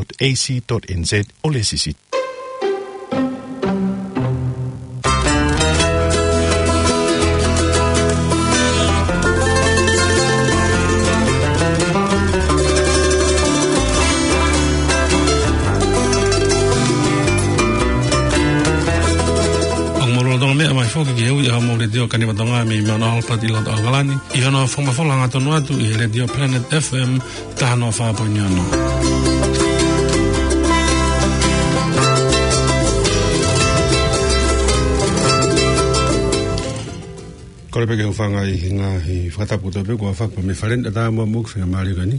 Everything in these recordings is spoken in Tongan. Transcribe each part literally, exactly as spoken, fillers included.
dot A C dot N Z ʻo lēsisita. ʻOku mou lolotonga meʻa mai foki ki he ui ʻa e Letiō Kaniva Tonga mei Mount Albert ʻi loto ʻAokalani, ʻi hono fakamafola hangatonu atu ʻi he Letiō Planet F M taha noa fā poini ono. Kole pē ke u hūfanga ʻi he ngaahi fakatapu kotoa pē kuo fakahoko mei he fale ni, ʻatā muʻa mo e faingamālie ko eni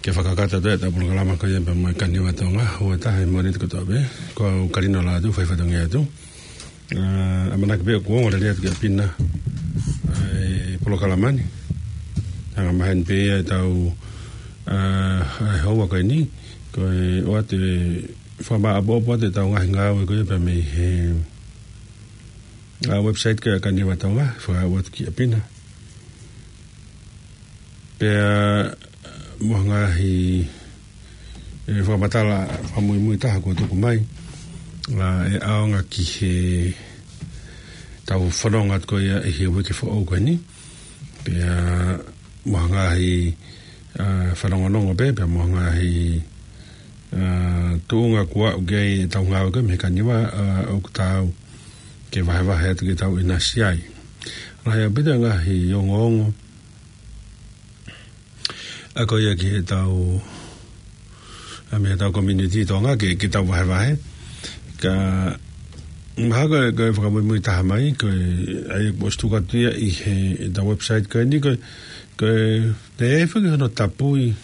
ke fakakakato atu ʻetau polokalama ko ia pea mo e Kaniva Tonga, ua taha ʻi he Mōnite kotoa pē. Ko au Kalino Lātū, fai fatongia atu. ʻA, ʻamanaki pē ʻoku ongo lelei atu kia Pina ʻa e polokalama ni. Angamaheni pē ia ʻetau, ʻa, ʻa e houa ko eni, ko e ʻoatu e fakamāʻopoʻopo atu ʻetau ngaahi ngāue ko ia pea mei he, ʻa, website ko ia Kaniva Tonga, fakaʻoatu kia Pina. Pea mo e ngaahi, ʻe, fakamatala fakamuimui taha kuo tuku mai, ʻa, ʻe ʻaonga ki heʻetau fononga atu ko ia ʻi he uike foʻou ko eni. Pea mo e ngaahi, ʻa, fanongonongo pē, pea mo e ngaahi, ʻa, tuʻunga kuo aʻu ki ai ʻetau ngāue ko ia mei he Kaniva, ʻa, ʻoku taau ke vahevahe atu ke tau ʻinasi ai. Lahi ʻaupito e ngaahi ongoongo ʻa ko ia ki heʻetau, ʻa, mei heʻetau community Tonga ke, ke tau vahevahe. Ka, mahalo ko e, ko e fakamuimui taha mai, ko e, ʻa ia kuo ʻosi tuku atu ia ʻi he, heʻetau website ko eni, ko e, ko e, te e fiki hono tapui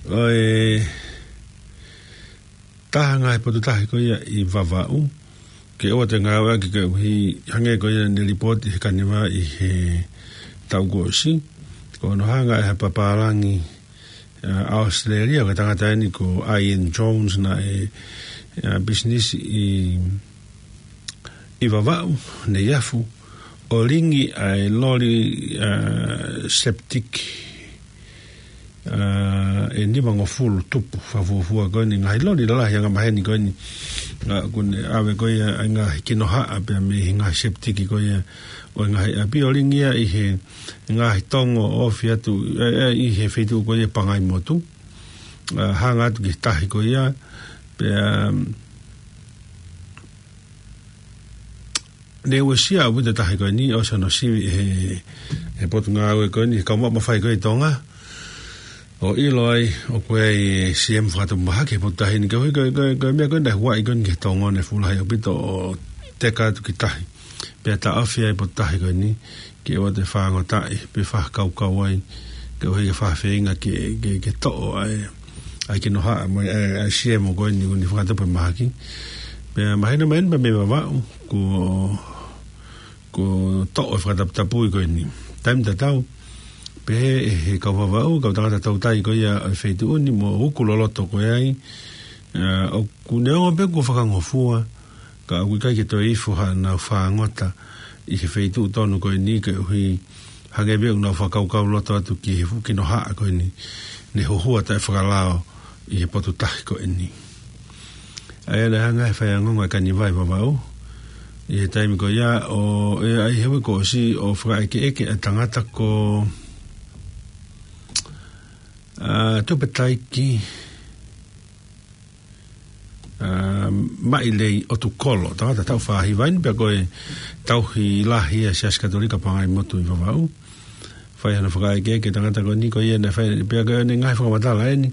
ʻo e taha ngaahi potu tahi ko ia ʻi Vavaʻu, ke ʻoua te ngāueʻaki koeʻuhi hangē ko ia ne lipooti he Kaniva ʻi he taʻu kuo ʻosi. Ko hono hanga ʻe ha papālangi, ʻa, ʻAositelēlia, ko e tangata eni ko Ian Jones, naʻe, ʻa, pisinisi ʻi, ʻi Vavaʻu, Neiafu, ʻo lingi ʻa e loli, ʻa, septic, ʻa, ʻe nimangofulu tupu fakafuofua ko eni, ngaahi loli lalahi angamaheni ko eni, ʻa, ʻoku ne ʻave ko ia ʻa e ngaahi kinohaʻa pea mei he ngaahi septic ko ia ʻo e ngaahi ʻapi, ʻo lingi ia ʻi he ngaahi tongo ʻo ofi atu, ʻe, ʻe, ʻi he feituʻu ko ia Pangaimotu, ʻa, hanga atu ki he tahi ko ia, pea, ne uesia ʻaupito e tahi ko eni, ʻosi hono sivi ʻe he, he potungāue ko eni, he kau maʻu mafai ko ia ʻi Tonga, ʻo ʻilo ai ʻoku ʻi ai e C M fakatupu mahaki he potu tahi ni, koeʻuhi ko e, ko e, ko e meʻa ko eni naʻe huaʻi ko eni ki he tongo, ne fuʻu lahi ʻaupito ʻo teka atu ki tahi. Pea taʻofi ai e potu tahi ko eni, ke ʻoua te fāngotaʻi, pe fakakaukau ai, koeʻuhi ke fakafeinga ke, ke, ke toʻo ʻa e, ʻa e kinohaʻa mo e, ʻa e, ʻa e C M ko eni, ʻoku ne fakatupu e mahaki. Pea mahino mai eni pea mei Vavaʻu, kuo, kuo toʻo e fakataputapui ko eni. Taimi tatau, pehē ʻe he kau Vavaʻu, kau tangata toutai ko ia ʻo e feituʻu ni mo uku loloto ko ia ai, ʻa, ʻoku neongo pē kuo fakangofua, ka ʻoku ʻikai ke toe ifo haʻanau fāngota ʻi he feituʻu tonu ko eni, koeʻuhi hangē pē ʻoku nau fakakaukau loto atu ki he fuʻu kinohaʻa ko eni, ne huhua taʻefakalao ʻi he potu tahi ko eni. ʻA ia naʻe hanga ʻe he faiangonga ʻa e Kaniva ʻi Vavaʻu ʻi he taimi ko ia ʻo, ʻe, ʻa ia he uike kuo ʻosi ʻo fakaʻekeʻeke ʻa e tangata ko, ʻa, Tupetaiki, ʻa, Maʻilei ʻOtukolo, tangata taʻu fā hiva eni, pea ko e tauhi lahi ʻa e Siasi Katolika Pangaimotu ʻi Vavaʻu. Fai hano fakaʻekeʻeke e tangata ko eni ko ia naʻe fai, pea ko ʻene ngaahi fakamatala eni,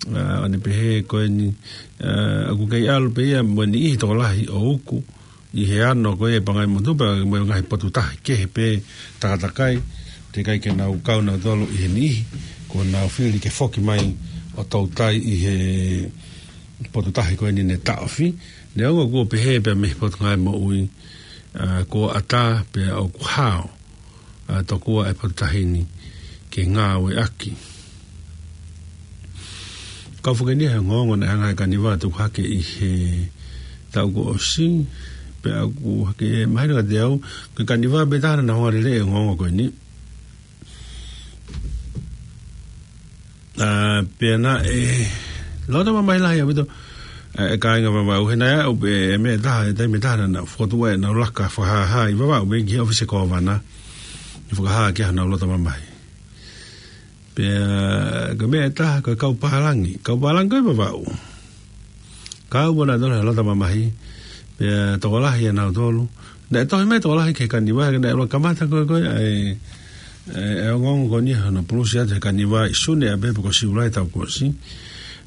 ʻa, ʻo ne pehē ko eni, ʻa, ʻoku kei ʻalu pē ia mo e niʻihi tokolahi ʻo uku ʻi he ano ko ia ʻi Pangaimotu pea mo e ngaahi potu tahi kehe pē takatakai, teʻeki ai ke nau kau nautolu ʻi he niʻihi, kuo nau fili ke foki mai ʻo toutai ʻi he potu tahi ko eni ne taʻofi. Neongo kuo pehē pea mei he Potungāue Moʻui, ʻa, kuo ʻatā pea ʻoku hao, ʻa, tokua e potu tahi ni ke ngāueʻaki. Kau fakeni he ongoongo naʻe hanga ʻe he Kaniva ʻo tuku hake ʻi he taʻu kuo ʻosi, pea ʻoku hake, mahino kiate au, ko e Kaniva pē taha naʻa nau hanga ʻo lele e ongoongo ko eni. ʻA, pea naʻe loto mamahi lahi ʻaupito ʻa e kāinga Vavaʻu, he naʻe ʻi ai pē ʻa e meʻa ʻe taha, ʻi he taimi ʻe taha naʻa nau fokotuʻu ʻenau laka fakahāhā ʻi Vavaʻu, mei ki he ʻōfisi kōvana, ʻi he fakahā ki ai honau loto mamahi. Pea ko e meʻa ʻe taha, ko e kau pālangi, kau pālangi ko ē ʻi Vavaʻu, kau pē nautolu he loto mamahi, pea tokolahi ʻa nautolu. Naʻe tohi mai tokolahi ki he kaniva, ka naʻe ʻuluaki kamata ko ē, ko ē ʻa e, ʻa e, ʻa e ongoongo ko eni hono pulusi atu he kaniva ʻi Sune ʻapē pe ko Siulai taʻu kuo ʻosi.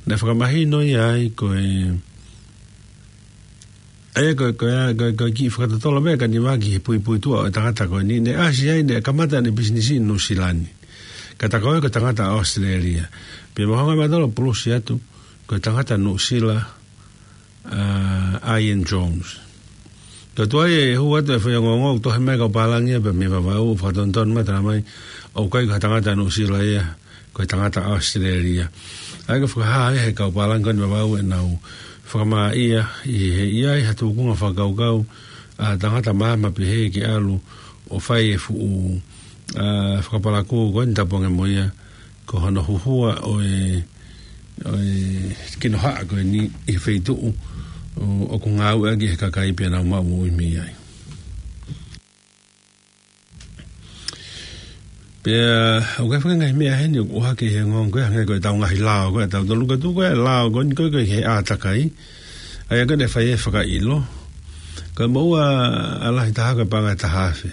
Naʻe fakamahino ia ai ko e, ʻa ia ko e, ko e, ko e, ko e kiʻi fakatotolo mai ʻa e kaniva ki he puipuituʻa ʻo e tangata ko eni. Naʻe ʻasi ai, naʻe kamata ʻene pisinisi ʻi Nuʻusila ni. Ka tā ko ē ko e tangata ʻAositelēlia. Pea mahalo ʻe mautolu pulusi atu, ko e tangata Nuʻusila, ʻa, Ian Jones. Ka tuai e hū atu e fai ongoongo, tohi mai kau pālangi ia pea mei Vavaʻu, fakatonutonu mai, talamai ʻoku ʻikai ko ha tangata Nuʻusila ia, ko e tangata ʻAositelēlia. ʻA ia ko e fakahā ia he kau pālangi ko eni ʻi Vavaʻu ʻenau fakamāʻia ʻi he ʻi ai ha tūkunga fakakaukau ʻa e tangata maama pehē ke ʻalu ʻo fai e fuʻu, ʻa, fakapalakū ko eni, tapu ange mo ia, ko hono huhua ʻo e, ʻo e kinohaʻa ko eni ʻi he feituʻu ʻo, ʻoku ngāueʻaki ʻe he kakai pea nau maʻu moʻui mei ai. Pea ʻoku ʻi ai e faʻahinga ngaahi meʻa heni ʻoku ʻohake he ongoongo ko ē, hangē ko ʻetau ngaahi lao ko ē ʻatautolu, ka tuku e lao ko eni ko ē ki he ʻātakai, ʻa ia ko ē naʻe fai e fakaʻilo. Ko e moʻua ʻa e lahi taha ko e paʻanga ʻe taha afe.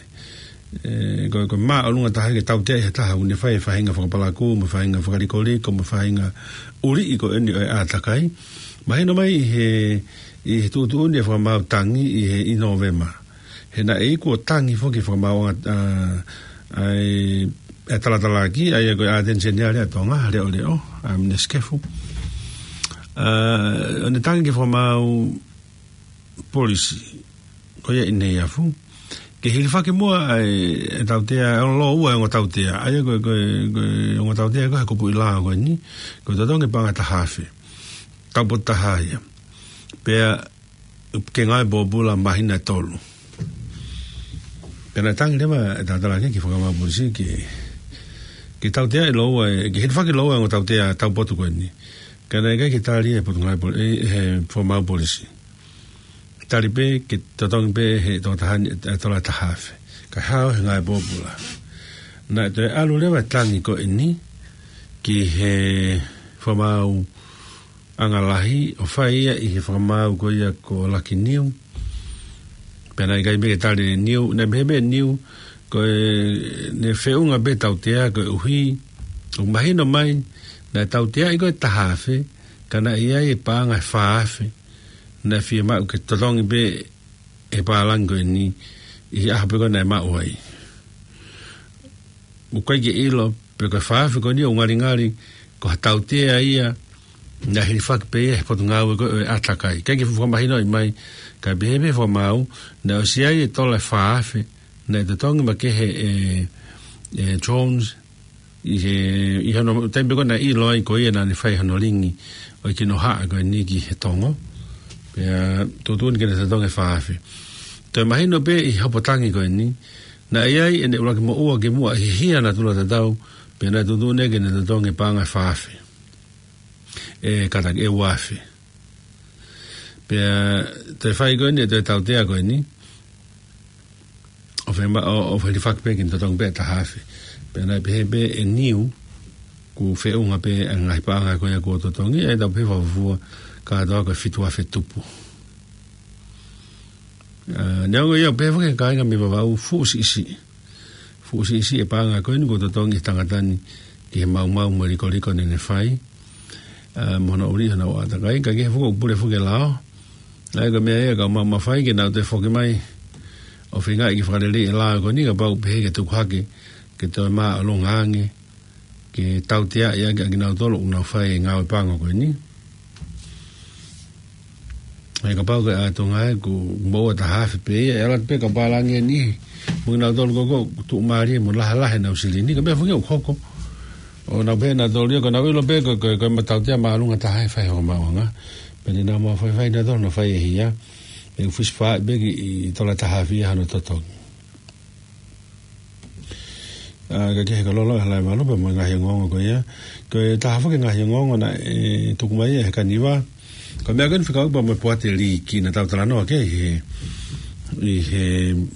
ʻE, ko, ko e māʻolunga taha ke tautea ʻe he taha ʻoku ne fai e faʻahinga fakapalakū, mo e faʻahinga fakalikoliko, mo e faʻahinga ʻuliʻi ko eni ʻo e ʻātakai. Mahino mai ʻi he, ʻi he tuʻutuʻuni e fakamaau tangi ʻi he, ʻi Nōvema. He naʻe iku ʻo tangi foki e fakamaau ʻa, ʻa e, ʻa e talatalaki, ʻa ia ko e ʻAteni Seniale ʻa Tonga, leʻoleʻo, ʻa Minisikefu. ʻA, ʻo ne tangi ki he fakamaau polisi ko ia ʻi Neiafu, ke hilifaki muʻa ʻa e, e tautea, ʻa e lōua e ongo tautea, ʻa ia ko e, ko e, ko e ongo tautea ko ē he kupuʻi lao ko eni, ko e totongi paʻanga ʻe taha afe, taupotu taha ia. Pea ke ngāue pōpula māhina ʻe tolu. Pea naʻe tangi leva e talatalaki ki he fakamaau polisi ke, ke tautea e lōua, ke hilifaki e lōua e ongo tautea taupotu ko eni. Ka naʻe ʻikai ke tali e potungāue poli-, e, he fakamaau polisi. Tali pē ke totongi pē he tokotaha ni e tola ʻe taha afe, kae hao he ngāue pōpula. Naʻe toe ʻalu leva e tangi ko eni ki he fakamaau ʻanga lahi, ʻo fai ia ʻi he fakamaau ko ia ko Lucky New. Pea naʻe ʻikai pē ke tali ʻe New, naʻe pehē pē ʻe New, ko ʻene feʻunga pē tautea koeʻuhi ʻoku mahino mai naʻe tauteaʻi ko ē e taha afe, ka naʻe ʻi ai e paʻanga ʻe fā afe naʻe fiemaʻu ke totongi pē ʻe he pālangi ko eni ʻi he ʻaho pē ko ē naʻe maʻu ai. ʻOku ʻikai ke ʻilo pe ko e fā afe ko eni ʻoku ngalingali ko ha tautea ia naʻe hilifaki pē ia he potungāue ko ē ʻo e ʻātakai. ʻIkai ke fuʻu fakamahinoʻi mai, kae pehē pē ʻe he fakamaau naʻe ʻosi ʻi ai e tola ʻe fā afe naʻe totongi makehe ʻe, ʻe Jones ʻi he, ʻi hono taimi pē ko ē naʻe ʻilo ai ko ia naʻa ne fai hono lingi ʻo e kinohaʻa ko eni ki he tongo. Pea tuʻutuʻuni ke ne totongi e fā afe. Toe mahino pē ʻi he hopo tangi ko eni, naʻe ʻi ai ʻene ʻuluaki moʻua kimuʻa ʻi he hia natula tatau, pea naʻe tuʻutuʻuni ke ne totongi e paʻanga ʻe fā afe. ʻE, kātaki, ʻe ua afe. Pea toe fai ko eni, toe tautea ko eni, ʻo fema-, ʻo, ʻo hilifaki pē ke ne totongi pē e taha afe. Pea naʻe pehē pē ʻe Niu, ʻoku feʻunga pē ʻa e ngaahi paʻanga ko ia kuo totongi, ʻe tau pehē fakafuofua kātoa ko e fitu afe tupu. ʻA, neongo ia, pehē foki ʻe he kāinga mei Vavaʻu, fuʻu siʻisiʻi. Fuʻu siʻisiʻi e paʻanga ko eni kuo totongi ʻe he tangata ni ki he maumau mo e likoliko naʻa ne fai, ʻa, mo hono ʻuliʻi honau ʻātakai, ka ʻoku ʻi ai foki ʻoku pule foki e lao. ʻA ia ko e meʻa ia ka mau mafai ke nau toe foki mai ʻo feingaʻi ke fakaleleiʻi e lao ko eni, kapau ʻoku pehē ke tuku hake ke toe māʻolunga ange, ke tauteaʻi ʻaki ʻa kinautolu ʻoku nau fai e ngāue pango ko eni. ʻA ia kapau ko e ʻātunga ē ʻoku moʻua ʻe taha afe pē ia, ʻe ʻalu atu pē kau pālangi ʻe niʻihi mo kinautolu ko ē ʻoku tuʻumālie mo lahi lahi ʻenau silini, ka meʻa foki ʻoku hoko. ʻO nau pehē ʻe nautolu ia, ko ʻenau ʻilo pē ko, ko, ko e tautea māʻolunga taha ʻe fai he fakamaauʻanga. Pea te nau mafaifai nautolu ʻo nau fai e hia, ʻe ʻosi fai pē ki he tola ʻe taha afe ia hono totongi. ʻA, ka ke he ka lolo ʻa e Halaevalu pea mo e ngaahi ongoongo ko ia. Ko e taha foki e ngaahi ongoongo naʻe tuku mai ʻe he Kaniva. Ko e meʻa ko eni fekauʻaki pea mo e Poate Liiki naʻa tau talanoa ki ai he, ʻi he,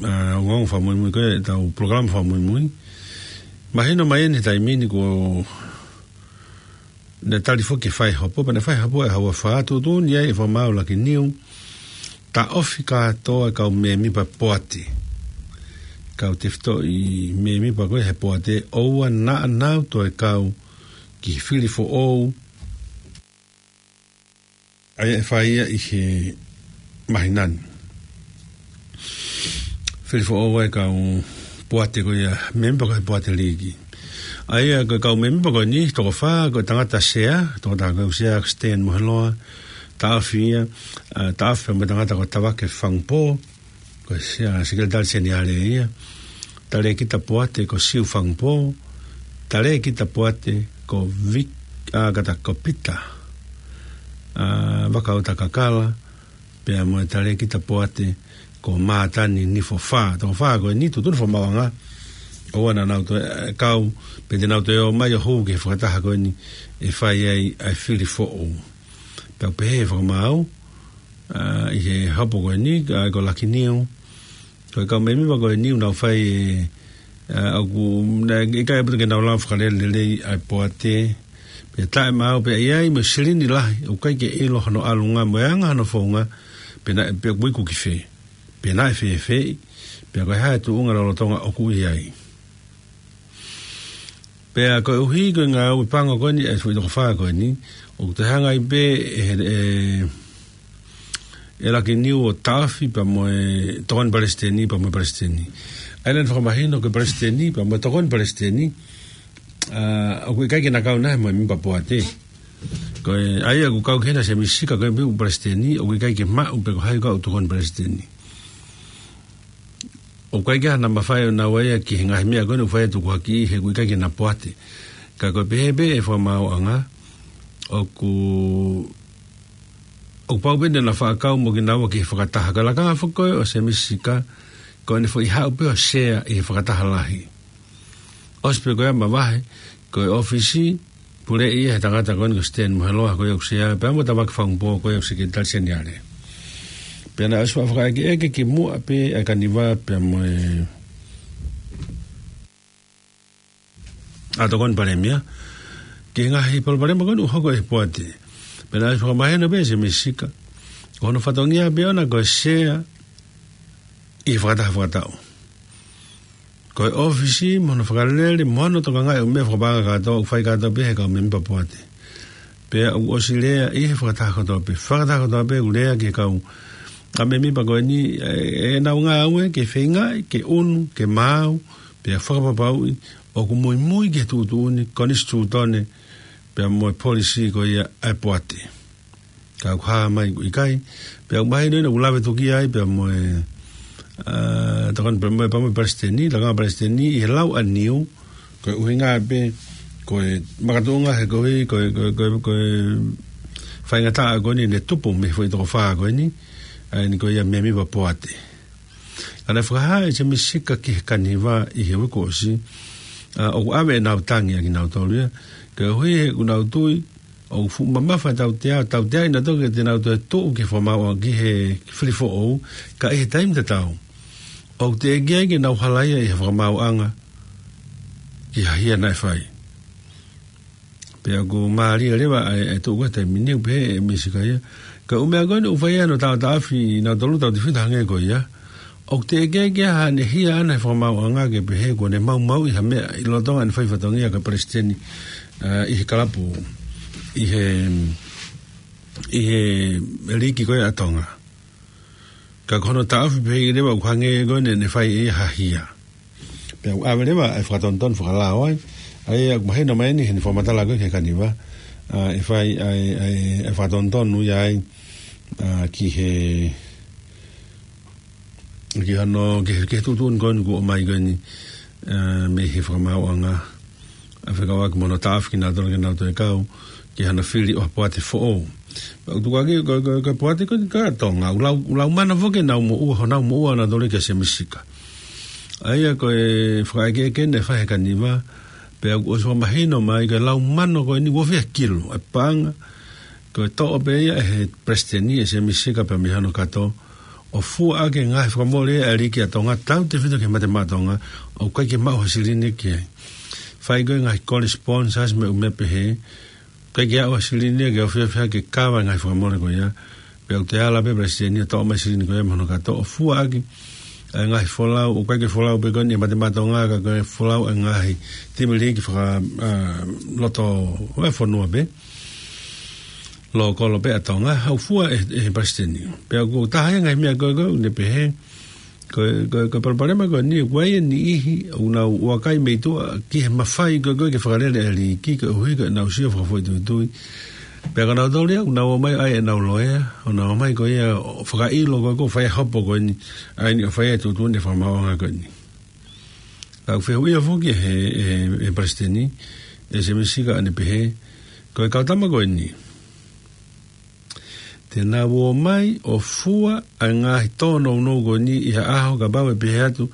ʻa, ongoongo fakamuimui ko ē ʻetau polokalama fakamuimui. Mahino mai eni he taimi ni kuo ne tali foki e faihopo, pea ne faihopo ʻa e Haʻa Uafā, tuʻutuʻuni ai ʻe he Fakamaau Laki Niu, taʻofi kātoa e kau mēmipa Poate. Kau tefitoʻi mēmipa ko ē he Poate, ʻoua naʻa nau toe kau ki he fili foʻou ʻa ia ʻe fai ia ʻi he māhina ni. Fili foʻou ʻa e kau Poate ko ia, mēmipa ko ē he Poate Liiki. ʻA ia ko e kau mēmipa ko eni, toko fā, ko e tangata sea, tokotaha ko ē ʻoku sea ko Stan Moheloa, taʻofi ia, ʻa, taʻofi mo e tangata ko Tavake Fangupō, ko e sea, Sekelitali Seniale ia, Talēkita Poate ko Siu Fangupō, Talēkita Poate ko Vik-, ʻa, kata ko Pita, ʻa, Vakauta Kakala, pea mo e Talēkita Poate ko Mātani Nifofā. Toko fā ko eni, tuʻutuʻuni ʻe he Fakamaauʻanga, ʻoua naʻa nau toe, ʻa, kau, pe te nau toe ō mai ʻo hū ki he fakataha ko eni ʻe fai ai ʻa e fili foʻou. Pea ʻoku pehē ʻe he Fakamaau, ʻa, ʻi he hopo ko eni, ʻa, ko Laki Niu, ko e kau mēmipa ko eni ʻoku nau fai e, ʻa, ʻoku, naʻe ʻikai ʻaupito ke nau lava fakalele lelei ʻa e Poate, pea taʻemaau pea ʻi ai mo e silini lahi, ʻoku ʻikai ke ʻilo hono ʻalunga mo e anga hono founga, pe naʻe, pe ʻoku iku ki fē, pe naʻe fēfeʻi, pea ko e hā e tuʻunga lolotonga ʻoku ʻi ai. Pea koeʻuhi ko e ngāue pango ko eni ʻa e foʻi toko fā ko eni, ʻoku toe hanga ai pē ʻe, ʻe, ʻe Laki Niu ʻo taʻofi pea mo e Tokoni Palesiteni pea mo e Palesiteni. ʻA ia naʻe fakamahino ko e Palesiteni pea mo e Tokoni Palesiteni, ʻa, ʻoku ʻikai ke na kau nahe mo e mēmipa Poate. Ko e, ʻa ia ʻoku kau ki hena Semisi Sika ko e pē ʻoku Palesiteni, ʻoku ʻikai ke maʻu pe ko hai ʻoku kau Tokoni Palesiteni. ʻOku ʻikai ke ʻi ai hano mafai ʻo nau ō ia ki he ngaahi meʻa ko eni ʻoku fai atu ko e haki he ʻoku ʻikai ke na Poate. Ka ko e pehē pē ʻe he Fakamaauʻanga, ʻoku, ʻoku pau pē naʻa na fakakau mo kinaua ki he fakataha. Ka ko e lakanga foki ko ē ʻo Semisi Sika, ko ʻene foʻi haʻu pē ʻo sea ʻi he fakataha lahi. ʻOsi pē ko ia mavahe, ko e ʻōfisi, puleʻi ia ʻe he tangata ko eni ko Stan Moheloa ko ia ʻoku sea, pea mo Tavake Fangupō ko ia ʻoku Sekelitali Seniale. Pea naʻe ʻosi fakafakaʻekeʻeke kimuʻa pē ʻa e Kaniva pea mo e, ʻa, Tokoni Palēmia, ki he ngaahi palopalema ko eni ʻoku hoko ʻi he Poate. Pea naʻe ʻosi fakamahino pē ʻe Semisi Sika, ko hono fatongia pē ʻona ko e sea ʻi he fakataha fakataʻu. Ko e ʻōfisi mo hono fakalele mo hono tokangaʻi ʻo e meʻa fakapaʻanga kātoa ʻoku fai kātoa pē ʻe he kau mēmipa Poate. Pea ʻoku ʻosi lea ʻi he fakataha kotoa pē, fakataha kotoa pē ʻoku lea ki he kau, ʻa, mēmipa ko eni, ʻe, ʻenau ngāue ke feingaʻi ke ʻunu, ke maau, pea fakapapauʻi ʻoku muimui ki he tuʻutuʻuni konisitūtone pea mo e polisī ko ia ʻa e Poate. Ka ʻoku hā mai ʻoku ʻikai, pea ʻoku mahino ʻena ʻoku lave tuki ai pea mo e, ʻa, Tokoni pea mo e, pea mo e Palesiteni, lakanga Palesiteni ʻi he lau ʻa Niu, ko e ʻuhinga pē, ko e makatuʻunga he koeʻuhi, ko e, ko e, ko e, ko e faingataʻa ko eni naʻe tupu mei he foʻi toko fā ko eni, ʻa eni ko ia mēmipa Poate. Ka naʻe fakahā ʻe Semisi Sika ki he Kaniva ʻi he uike kuo ʻosi, ʻa, ʻoku ʻave ʻenau tangi ʻa kinautolu ia, koeʻuhi he ʻoku nau tui, ʻoku fuʻu mamafa e tautea, tautea ʻi nautolu ke te nau toe tuʻu ki he Fakamaauʻanga ki he fili foʻou, ka ʻi he taimi tatau, ʻoku teʻeki ai ke nau halaia ʻe he Fakamaauʻanga ki ha hia naʻe fai. Pea ʻoku mālie leva ʻa e, ʻa e tuʻu ko ē he taimi ni ʻoku pehē ʻe Semisi Sika ia, ko e ʻū meʻa ko eni ʻoku fai ai hono taʻotaʻofi ʻi nautolu tau tefito hangē ko ia, ʻoku teʻeki ai ke ʻi ai haʻane hia ʻana ʻe he Fakamaauʻanga ke pehē kuo ne maumauʻi ha meʻa ʻi lolotonga ʻene fai fatongia ko e Palesiteni, ʻa, ʻi he kalapu, ʻi he, ʻi he liiki ko ē ʻa Tonga. Ka ko hono taʻofi pē ia leva ʻoku hangē ko ē naʻa ne fai ʻe ia ha hia. Pea ʻoku ʻave leva e fakatonutonu fakalao ai. ʻA ia ʻoku mahino mai eni heʻene fakamatala ko ē ki he Kaniva, ʻa, ʻe fai ʻa e, ʻa e, ʻa e fakatonutonu ia ai, ʻa, ki he, ki hano, ki he, ki he tuʻutuʻuni ko eni kuo ʻomai ko eni, ʻa, mei he Fakamaauʻanga, ʻa, fekauʻaki mo hono taʻofi kinautolu ke nau toe kau ki hano fili ʻo ha Poate foʻou. Pea ʻoku tukuakiʻi ko e, ko e, ko e Poate ko eni ʻa Tonga, ʻoku lau, ʻoku lau mana foki ʻenau moʻua, honau moʻua ʻanautolu kia Semisi Sika. ʻA ia ko e fakaʻekeʻeke naʻe fai he Kaniva, pea kuo ʻosi fakamahino mai ko e lau mano ko eni ʻoku fiha kilu ʻa e paʻanga, ko e toʻo pē ia ʻe he Palesiteni, ʻe Sēmisi Sika pea mei hono kato, ʻo fua ʻaki e ngaahi fakamole ʻa e liiki ʻa Tonga, tautefito ki he Mate Maʻa Tonga, ʻoku ʻikai ke maʻu ha silini ki ai. Fai ko e ngaahi kole sponsors mo e ʻū meʻa pehē, ʻikai ke aʻu ha silini ia ke ofiofia ke kava e ngaahi fakamole ko ia. Pea ʻoku toe ala pē Palesiteni ʻo toʻo mai silini ko ia mei hono kato ʻo fua ʻaki ʻa e ngaahi folau, ʻoku ʻikai ke folau pē ko eni ʻa e Mate Maʻa Tonga, ka ko e folau ʻa e ngaahi timi liiki faka, ʻa, loto ʻo e fonua pē, lōkolo pē ʻa Tonga, ʻoku fua ʻe, ʻe he Palesiteni. Pea ʻoku taha ia e ngaahi meʻa ko ē ko ē ʻoku ne pehē, ko e, ko e, ko e palopalema ko eni, ʻoku ʻi ai e niʻihi ʻoku nau ʻoakai mei tuʻa ki he mafai ko ē ko ē ke fakalele ʻa e liiki, koeʻuhi ko ʻenau sio fakafoʻituitui. Pea ko nautolu ia ʻoku nau ō mai ʻa ʻenau loea, ʻo nau ō mai ko ia ʻo fakaʻilo ko ē ko e fai e hopo ko eni, ʻa eni ʻo fai e tuʻutuʻuni fakamaauʻanga ko eni. Ka ʻoku fehuʻia foki ʻe he, ʻe he, ʻe he Palesiteni, ʻe Sēmisi Sika ʻo ne pehē, ko e kau tama ko eni, te nau ō mai ʻo fua ʻa e ngaahi tōnounou ko eni ʻi ha ʻaho kapau ʻe pehē atu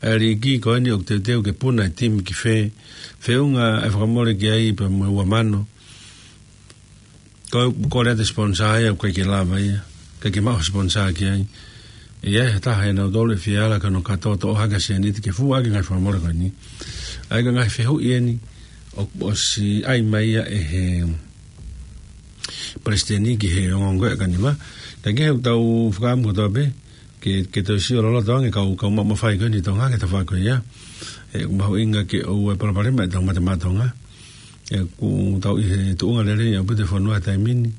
ʻa e liiki ko eni ʻoku teuteu ke puna e timi ki fē, feʻunga e fakamole ki ai pea mo e ua mano. Ko, kole atu e sponsor ia, ʻoku ʻikai ke lava ia, ʻikai ke maʻu ha sponsor ki ai. ʻI ai ha taha ʻia nautolu ʻe fie ala ki hono kato ʻo toʻo hake ha sēniti ke fua ʻaki e ngaahi fakamole ko eni. ʻA ia ko e ngaahi fehuʻi eni ʻoku ʻosi ʻai mai ia ʻe he Palesiteni ki he ongoongo ʻa e Kaniva. Ka ko e ʻoku tau fakaʻamu kotoa pē ke, ke toe sio loloto ange kau, kau maʻu mafai ko eni ʻi Tonga ki he tafaʻaki ko ia. ʻE, ʻoku mahuʻinga ke ʻoua ʻe palopalema ʻetau Mate Maʻa Tonga. ʻE, ʻoku tau ʻi he tuʻunga lelei ʻaupito e fonua he taimi ni.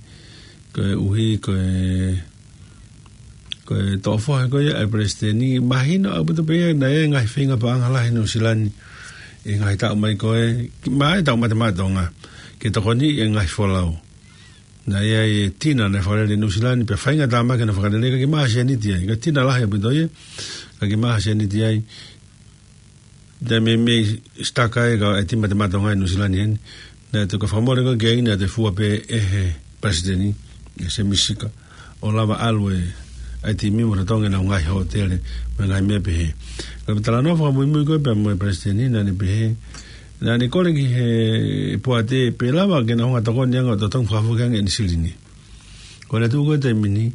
Koeʻuhi ko e, ko e toʻo foha ko ia ʻa e Palesiteni, mahino ʻaupito pē ia naʻe ʻi ai e ngaahi feinga paʻanga lahi ʻi Nuʻu Sila ni ʻi he ngaahi taʻu mai ko ē, ki, maʻa ʻetau Mate Maʻa Tonga, ke tokoniʻi e ngaahi folau. Naʻe ʻi ai e tina naʻe fakalele ʻi Nuʻu Sila ni, pea faingataʻa mai ke na fakalele, ʻikai ke maʻu ha sēniti ai. Ko e tina lahi ʻaupito ia, ʻikai ke maʻu ha sēniti ai. Naʻe meimei sitaka ai e kau, e timi Mate Maʻa Tonga ʻi Nuʻu Sila ni heni. Naʻe toki fakamole ko ē ki ai, naʻe toe fua pē ʻe he Palesiteni, ʻe Sēmisi Sika, ʻo lava ʻalu e, ʻa e timi mo totongi ʻenau ngaahi hōtele mo e ngaahi meʻa pehē. Ka ko e talanoa fakamuimui ko ē pea mo e Palesiteni, naʻa ne pehē, naʻa ne kole ki he poate pe ʻe lava ke na hanga ʻo tokoni ange ʻo totongi fakafoki ange ʻene silini. Ko ʻene tuʻu ko ē he taimi ni,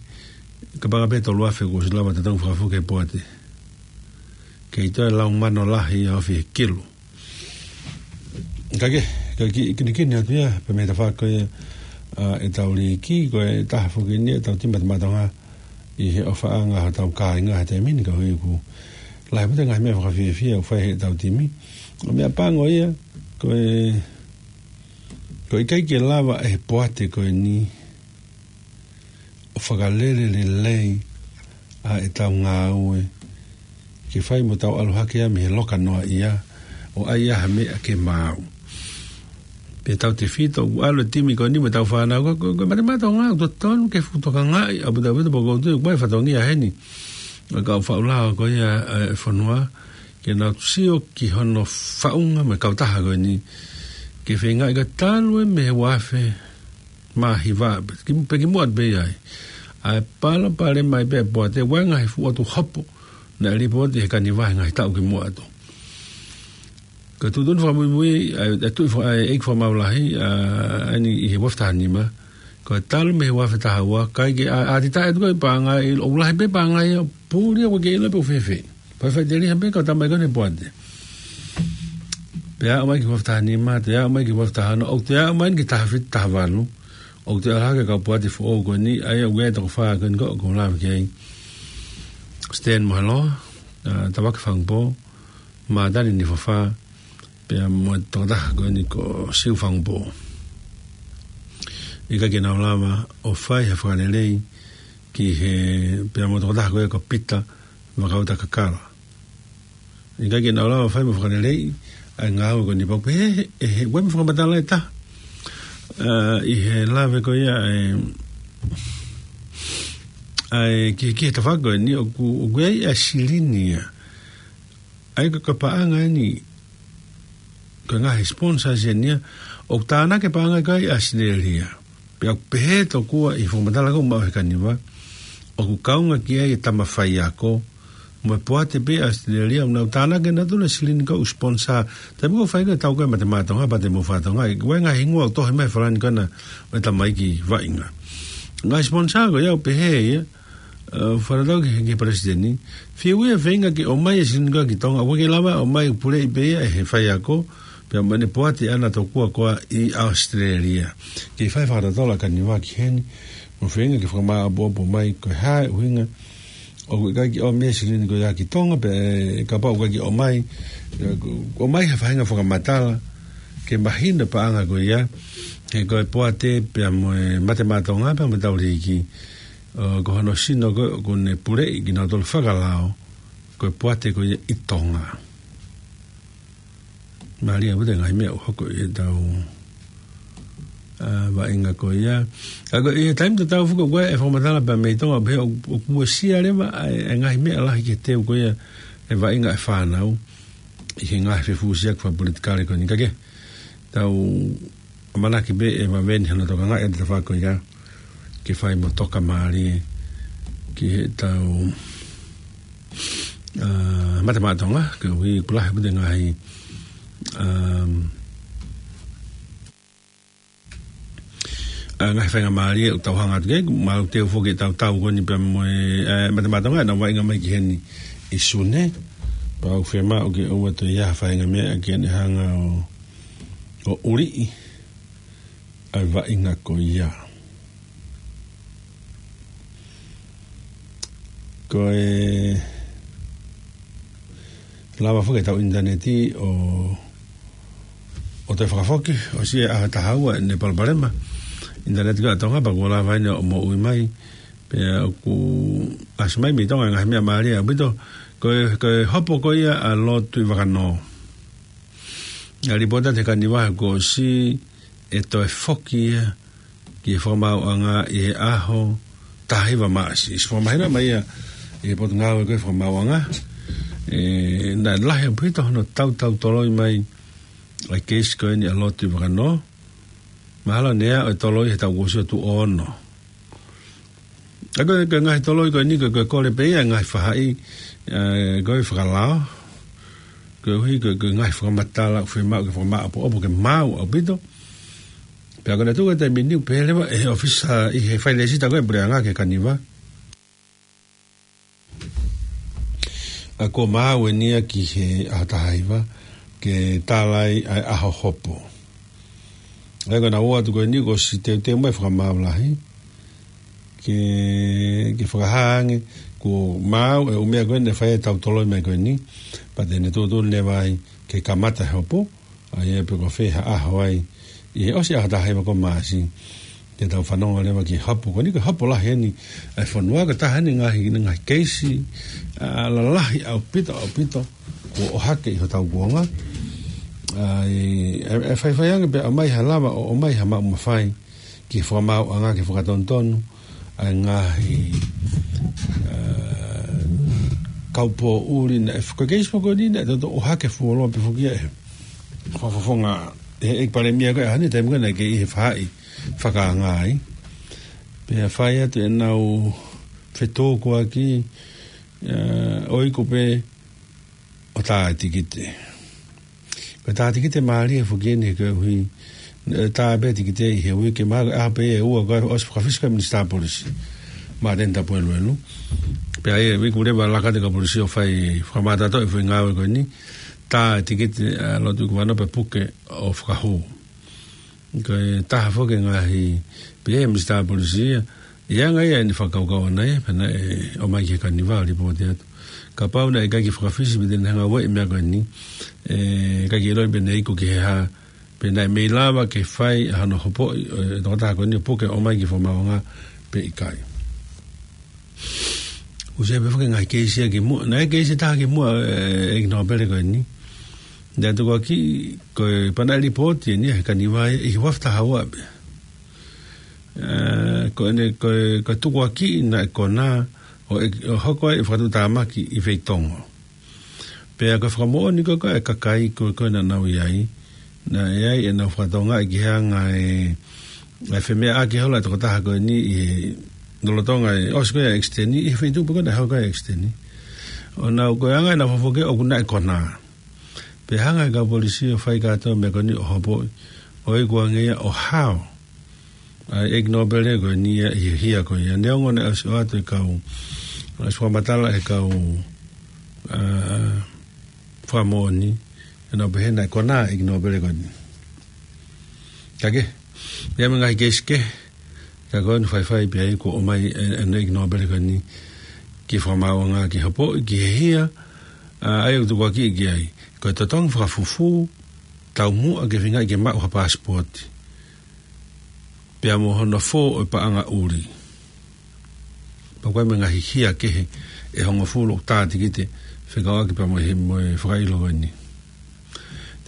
kapau pē ʻe tolu afe kuo ʻosi lava totongi fakafoki ʻe he poate. Kei toe lau mano lahi ia ʻo fiha kilu. Ka ke, ka ki, kinikini atu ia, pea mei he tafaʻaki ko ia, ʻa, ʻetau liiki, ko e taha foki eni ʻetau timi Mate Maʻa Tonga ʻi he ʻofaʻanga hotau kāinga he taimi ni, koeʻuhi ʻoku lahi ʻaupito e ngaahi meʻa fakafiefia ʻoku fai ʻe heʻetau timi. Ko e meʻa pango ia, ko e, ko e ʻikai ke lava ʻe he poate ko eni ʻo fakalele lelei ʻa ʻetau ngāue ke fai mo tau ʻalu hake ia mei he loka noaʻia ʻo ʻai ʻa ha meʻa ke maau. Pea tautefito ʻoku ʻalu e timi ko eni mo ʻetau fānau ko, ko, ko e Mate Maʻa Tonga ʻoku totonu ke fuʻu tokangaʻi ʻaupito ʻaupito pea ʻoku ou tui ʻoku ʻi ai e fatongia heni ʻa e kau faʻu lao ko ia ʻa e fonua ke nau sio ki hono faʻunga mo e kautaha ko eni ke feingaʻi ka talu e mei he ua afe mā hiva pe ki, pe ki muʻa pē ia ai. ʻA e palopalema ia pē ʻa e poate, ʻoku ʻi ai e ngaahi fuʻu ʻotu hopo naʻe lipooti ʻe he Kaniva he ngaahi taʻu ki muʻa atu. Ko e tuʻutuʻuni fakamuimui ʻa e, ʻa e tuʻi faka-, ʻa e ʻeiki fakamaau lahi, ʻa, ʻa eni ʻi he ua afe taha nima, ko e talu mei he ua afe taha ua, ʻikai ke ʻa, ʻa titaʻe atu ko e paʻanga, ʻoku lahi pē paʻanga ia, puli ʻoku ʻikai ke ʻilo pe ʻoku fēfē. Pea faʻiteliha pē kau tama ko eni he poate. Pea aʻu mai ki he ua afe taha nima, toe aʻu mai ki he ua afe taha ono, ʻoku toe aʻu mai ki he taha fitu, taha valu, ʻoku toe ʻalu hake e kau poate foʻou ko eni, ʻa ia ʻoku ʻi ai e toko fā ko eni ko, ko e lave ki ai. Stan Moheloa, ʻa, Tavake Fangupō, Mātani Nifafa, pea mo e tokotaha ko eni ko Siu Fangupō. ʻIkai ke nau lava ʻo fai ha fakalelei ki he, pea mo e tokotaha ko ē ko Pita Vakauta Kakala. ʻIkai ke nau lava ʻo fai mo fakalelei ʻa e ngāue ko eni pau pē he, he, he, ʻoku ʻi ai mo e fakamatala ʻe taha. ʻA, ʻi he lave ko ia ʻa e, ʻa e ki, ki he tafaʻaki ko eni ʻoku, ʻoku ʻi ai ʻa e silini ia. ʻA ia ko e paʻanga eni, ko e ngaahi sponsors eni ia, ʻoku tānaki e paʻanga ko ia ʻi ʻAositelēlia. Pea ʻoku pehē tokua ʻi he fakamatala ko ē ʻoku maʻu ʻe he Kaniva, ʻoku kaunga ki ai e tama faiako, mo e poate pē ʻa ʻAositelēlia, ʻoku nau tānaki ʻenautolu e silini ko ē ʻoku sponsor. Taimi ko ē ʻoku fai ko ē e tau ko ē Mate Maʻa Tonga, Pate mo Fakatonga, ʻi he ngaahi hingoa ʻoku tohi mai he Falani ko ena ʻo e tamaiki vaʻinga. Ngaahi sponsor ko ia ʻoku pehē ia, ʻa, fakatatau ki he, ki he palesiteni. Fiu ia feinga ke ʻomai e silini ko ē ki Tonga, ʻoku ʻikai ke lava ʻomai, puleʻi pē ia ʻe he faiako, pea mo ʻene poate ʻana tokua ko ē ʻi ʻAositelēlia. Ke fai fakatotolo ʻa Kaniva ki heni, mo feinga ke fakamāʻopoʻopo mai ko e hā e ʻuhinga ʻoku ʻikai ke ʻomi e silini ko ia ki Tonga, pe kapau ʻoku ʻikai ke ʻomai, ʻomai ha faʻahinga fakamatala ke mahino e paʻanga ko ia, he ko e poate pea mo e Mate Maʻa Tonga pea mo e Tauliki, ʻo, ko hono sino ko ē ʻoku ne puleʻi kinautolu fakalao, ko e poate ko ia ʻi Tonga. Mālie ʻaupito e ngaahi meʻa ʻoku hoko ʻi he tau, ʻa, vaʻinga ko ia. ʻA, ko e, ʻi he taimi tatau foki ʻoku ʻi ai e fakamatala pea mei Tonga, pea ʻoku, ʻoku uesia leva ʻa e, e ngaahi meʻa lahi ki he teu ko ia e vaʻinga e fānau ʻi he ngaahi fefusiaki fakapolitikale ko eni. Ka ke tau ʻamanaki pē ʻe vave ni hano tokangaʻi ʻa e tafaʻaki ko ia ke fai mo toka mālie ki he tau, ʻa, Mate Maʻa Tonga, koeʻuhi ʻoku lahi ʻaupito e ngaahi, um, ʻa, ngaahi faingamālie ʻoku tau hanga atu ki ai, mau teu foki e tau tau ko eni pea mo e, ʻa, Mate Maʻa Tonga, ʻenau vaʻinga mai ki heni ʻi Sune, pea ʻoku fiemaʻu ke ʻoua toe ʻi ai ha faʻahinga meʻa ke ne hanga ʻo, ʻo ʻuliʻi ʻa e vaʻinga ko ia. Ko e lava foki e tau ʻinitaneti ʻo, ʻo toe fakafoki, ʻosi e ʻaho ʻe taha ua ʻene palopalema ʻinitaneti ko ē ʻa Tonga, pea kuo lava eni ʻo moʻui mai, pea ʻoku ʻasi mai mei Tonga e ngaahi meʻa mālie ʻaupito, ko e, ko e hopo ko ia ʻa Lord Tuʻivakanō. ʻA, lipooti atu he Kaniva he kuo ʻosi e toe foki ia ki he fakamaauʻanga ʻi he ʻaho taha hiva Maʻasi. ʻOsi fakamahino mai ia ʻe he Potungāue ko ē Fakamaauʻanga. ʻE, naʻe lahi ʻaupito hono tautau toloi mai ʻa e keisi ko eni ʻa Lord Tuʻivakanō. Mahalo ne aʻu e toloi he taʻu kuo ʻosi ʻo tuʻo ono. ʻA, ko e, ko e ngaahi toloi ko eni ko e, ko e kole pē ia e ngaahi faʻahi, ʻa, ko e fakalao, koeʻuhi ko e, ko e ngaahi fakamatala ʻoku fiemaʻu ke fakamāʻopoʻopo ke maau ʻaupito. Pea ko ʻene tuku e taimi ni ʻoku pehē leva ʻe he ʻōfisa ʻi he failēsita ko ē puleʻanga ki he Kaniva, ʻa, kuo maau eni ia ki he ʻaho taha hiva ke tala ai ʻa e ʻaho hopo. ʻA ia ko ʻenau ō atu ko eni kuo ʻosi teuteu mai e Fakamaau Lahi ke, ke fakahā ange kuo maau e ʻū meʻa ko ē naʻe fai e tau toloi mai ko eni, pea te ne tuʻutuʻuni leva ai ke kamata e hopo, ʻa ia pe ko fē ha ʻaho ai ʻi he ʻosi ʻaho taha hiva ko Maʻasi, ke tau fanongo leva ki he hopo ko eni, ko e hopo lahi eni ʻa e fonua, ko e taha eni e ngaahi, ngaahi keisi, ʻa, lalahi ʻaupito, ʻaupito kuo ʻohake ʻi hotau kuonga. ʻA, ʻe, ʻe faifai ange pea ʻomai ha lava ʻo ʻomai ha maʻu mafai ki he Fakamaauʻanga ke fakatonutonu ʻa e ngaahi, ʻa, kaupoʻuli naʻe f-, ko e keisi foki ko eni naʻe toutou ʻohake fuoloa pē foki ia ʻe he fakafofonga, ʻe he ʻEiki Palēmia ko ē ʻa e ʻaho ni, taimi ko ē naʻe kei ʻi he faʻahi fakaanga ai. Pea fai atu ʻenau fetōkoaki, ʻa, ʻo iku pē ʻo tā e tikite. Ko e tā tikite mālie foki eni he koeʻuhi, ʻe, tā pē tikite ʻi he uike, mahalo ko e ʻaho pē ʻe ua kuo ʻosi fakafisi ko ē e Minisitā Polisi, Māteni Tapueluelu. Pea ʻe iku leva e laka atu e kau polisi ʻo fai fakamātoato e foʻi ngāue ko eni, tā e tikite ʻa Lord Tuʻivakanō pea puke ʻo fakahū. Ko e taha foki e ngaahi pehē ʻe he Minisitā Polisi ia, ʻi he anga ia ʻene fakakaukau ʻana ia, pea naʻe ʻomai ki he Kaniva ʻo lipooti atu. Kapau naʻe ʻikai ke fakafisi pe te ne hanga ʻo ueʻi e meʻa ko eni, ʻe ʻikai ke ʻiloʻi pe naʻe iku ki he hā, pe naʻe mei lava ke fai ʻa hono hopoʻi ʻo e tokotaha ko eni ʻo puke ʻo ʻomai ki he Fakamaauʻanga pe ʻikai. ʻOsi pē foki e ngaahi keisi ia kimuʻa, naʻe keisi ʻe taha kimuʻa, ʻe, ʻEiki Nōpele ko eni. Naʻe tukuakiʻi, ko e pea naʻe lipooti eni ia he Kaniva ia ʻi he ua afe taha ua pē. ʻE, ko ʻene, ko e, ko e tukuakiʻi naʻe konā ʻo e, ʻo hoko ai e fakatuʻutāmaki ʻi Feitongo. Pea ko e fakamoʻoni ko ē ʻa e kakai ko ē naʻa nau ʻi ai, naʻe ʻi ai ʻenau fakatokangaʻi ki he anga e, e femeʻaʻaki holo e tokotaha ko eni ʻi he lolotonga e ʻosi ko ē ʻa e ʻekisiteni, ʻi he feituʻu pē ko ē naʻe hoko ai e ʻekisiteni. ʻO nau ko e anga ʻenau fofoke ʻoku naʻe konā. Pea hanga ʻe he kau polisi ʻo fai kātoa e meʻa ko eni ʻo hopoʻi, ʻo ikuange ia ʻo hao ʻa e ʻeiki nōpele ko eni ia ʻi he hia ko ia. Neongo naʻe ʻosi ʻoatu e kau, ʻosi fakamatala e kau, ā, fakamoʻoni, ʻenau pehē naʻe konā e ʻeiki nōpele ko eni. Ka ke, ia mo e ngaahi keisi kehe, ka ko eni faifai pē ai kuo ʻomai e, e ʻeiki nōpele ko eni ki he fakamaauʻanga ke hopoʻi ki he hia, ā, ʻa ia ʻoku tukuakiʻi ki ai. Ko e totongi fakafufū, taumuʻa ke feingaʻi ke maʻu ha paasipooti. Pea mo hono fō ʻo e paʻanga ʻuli. Pea ko e mo e ngaahi hia kehe ʻe hongofulu ʻoku tā tikite fekauʻaki pea mo e, mo e fakaʻilo ko eni.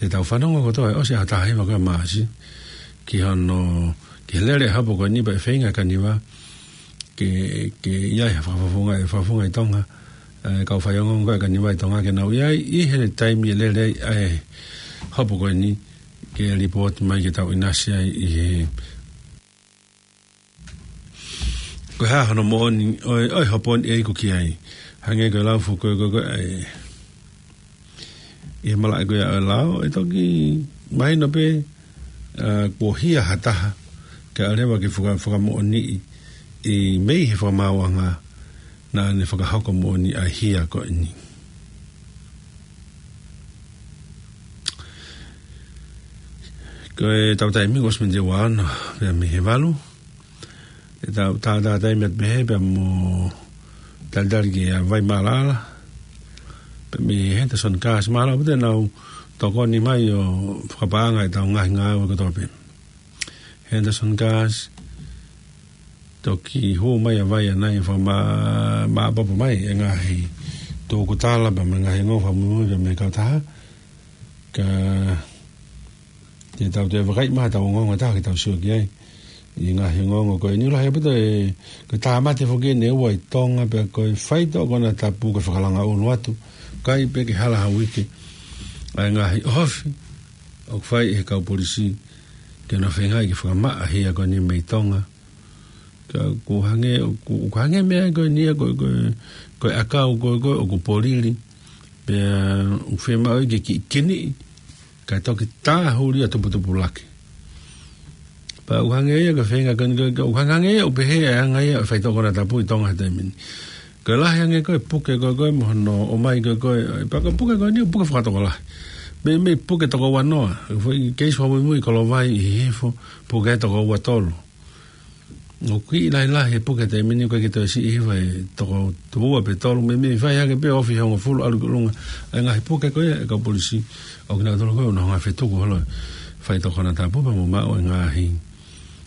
Te tau fanongo kotoa ʻe ʻosi ʻa e taha hiva ko e Maʻasi ki hono, ki he lele e hopo ko eni pea ʻe feinga e kaniva ke, ke ʻi ai ha fakafofonga, ʻe fakafofonga ʻi Tonga, ē, kau faiongoongo ko e kaniva ʻi Tonga ke nau ʻi ai ʻi he taimi ʻe lele ai ʻa e hopo ko eni ke lipooti mai ke tau ʻinasi ai ʻi he ko e hā hono moʻoni ʻo e, ʻo e hopo ni ʻe iku ki ai. Hangē ko e lau foki ko e, ko e, ʻi he malaʻe ko ia ʻo e lao, ʻe toki mahino pē, ā, kuo hia ha taha, kae ʻoua leva ke faka-, fakamoʻoniʻi ʻi mei he fakamaauʻanga naʻa ne fakahoko moʻoni ʻa e hia ko eni. Ko e tau taimi kuo ʻosi miniti ʻe ua ono pea mei he valu. Te tau tātātaimi atu pē he pea mo talitali ki he vai mālala. Pea mei he Henderson Cars mālala pē te nau tokoni mai ʻo fakapaʻanga ʻetau ngaahi ngāue kotoa pē. Henderson Cars, toki hū mai ʻa vai ʻanai ʻo fakama-, māʻopoʻopo mai e ngaahi tōkutala pea mo e ngaahi ongo fakamuimui pea mei he kautaha. Ka te tau toe vakai mai ha tau ongoongo ʻe taha ke tau sio ki ai. ʻI he ngaahi ongoongo ko eni lahi ʻaupito e, ko e tāmate foki eni ʻe ua ʻi Tonga pea ko e faitoʻo konatapu ko e fakalanga ʻulu atu. ʻIkai pē ke hala ha uike ʻa e ngaahi ʻohofi ʻoku fai ʻe he kau polisi ke nau feingaʻi ke fakamaʻa hia ko eni mei Tonga. Ka ʻoku hangē, ʻoku, ʻoku hangē meʻa ko eni ia ko, ko, ko e ʻakau ko, ko, ʻoku polili. Pea ʻoku fiemaʻu ke kiʻi kiniʻi, kae toki tāhuli ʻo tuputupulaki. Pea ʻoku hangē ia ko e feinga ko eni ko, ko, ʻoku hangē ia ʻoku pehē ʻa e anga ia ʻo e faitoʻo konatapu ʻi Tonga he taimi ni. Ko e lahi ange ko e puke ko, ko e mo hono ʻomai ko, ko e, pea ko e puke ko eni ʻoku puke fakatokolahi. Meimei puke toko ua noa, foʻi keisi fakamuimui Kolovai ʻi Hihifo, puke toko ua tolu. ʻOku kiʻi lahilahi e puke he taimi ni, ʻoku ʻikai ke toe siʻi hifo he toko ua pe tolu, meimei fai hake pē ofi hongofulu ʻalu ki ʻolunga. ʻA e ngaahi puke ko ia ʻa e kau polisi, ʻoku nau tolo ko e ʻuhinga fetuku holo e faitoʻo konatapu pea mo maʻu e ngaahi,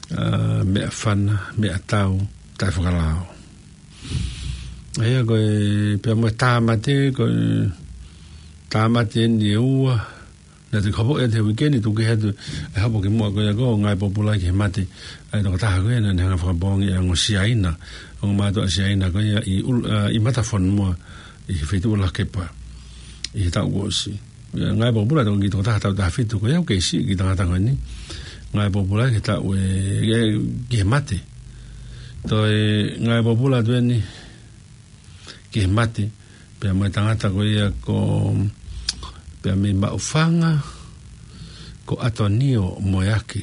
ā, meʻafana, meʻatau, taʻefakalao. ʻA ia ko e, pea mo e tāmate, ko e tāmate eni ʻe ua, naʻe toki hopoʻi atu he uike ni, tuku hake atu e hopo kimuʻa ko ia ko Ngāue Pōpula ki he Mate ʻa e tokotaha ko ia naʻa ne hanga ʻo fakapoongi e ongo Siaina, ongo mātuʻa Siaina ko ia ʻi ʻUl-, ā, ʻi Matafonua ʻi he feituʻu Lakepa ʻi he taʻu kuo ʻosi. Ngāue Pōpula toki tokotaha taʻu taha fitu ko ia ʻoku kei siʻi e kiʻi tangata ko eni. Ngāue Pōpula ki he taʻu ē, ē, ki he mate. Toe Ngāue Pōpula atu eni ki he mate, pea mo e tangata ko ia ko, pea mei Maʻufanga, ko ʻAtonio Moeaki.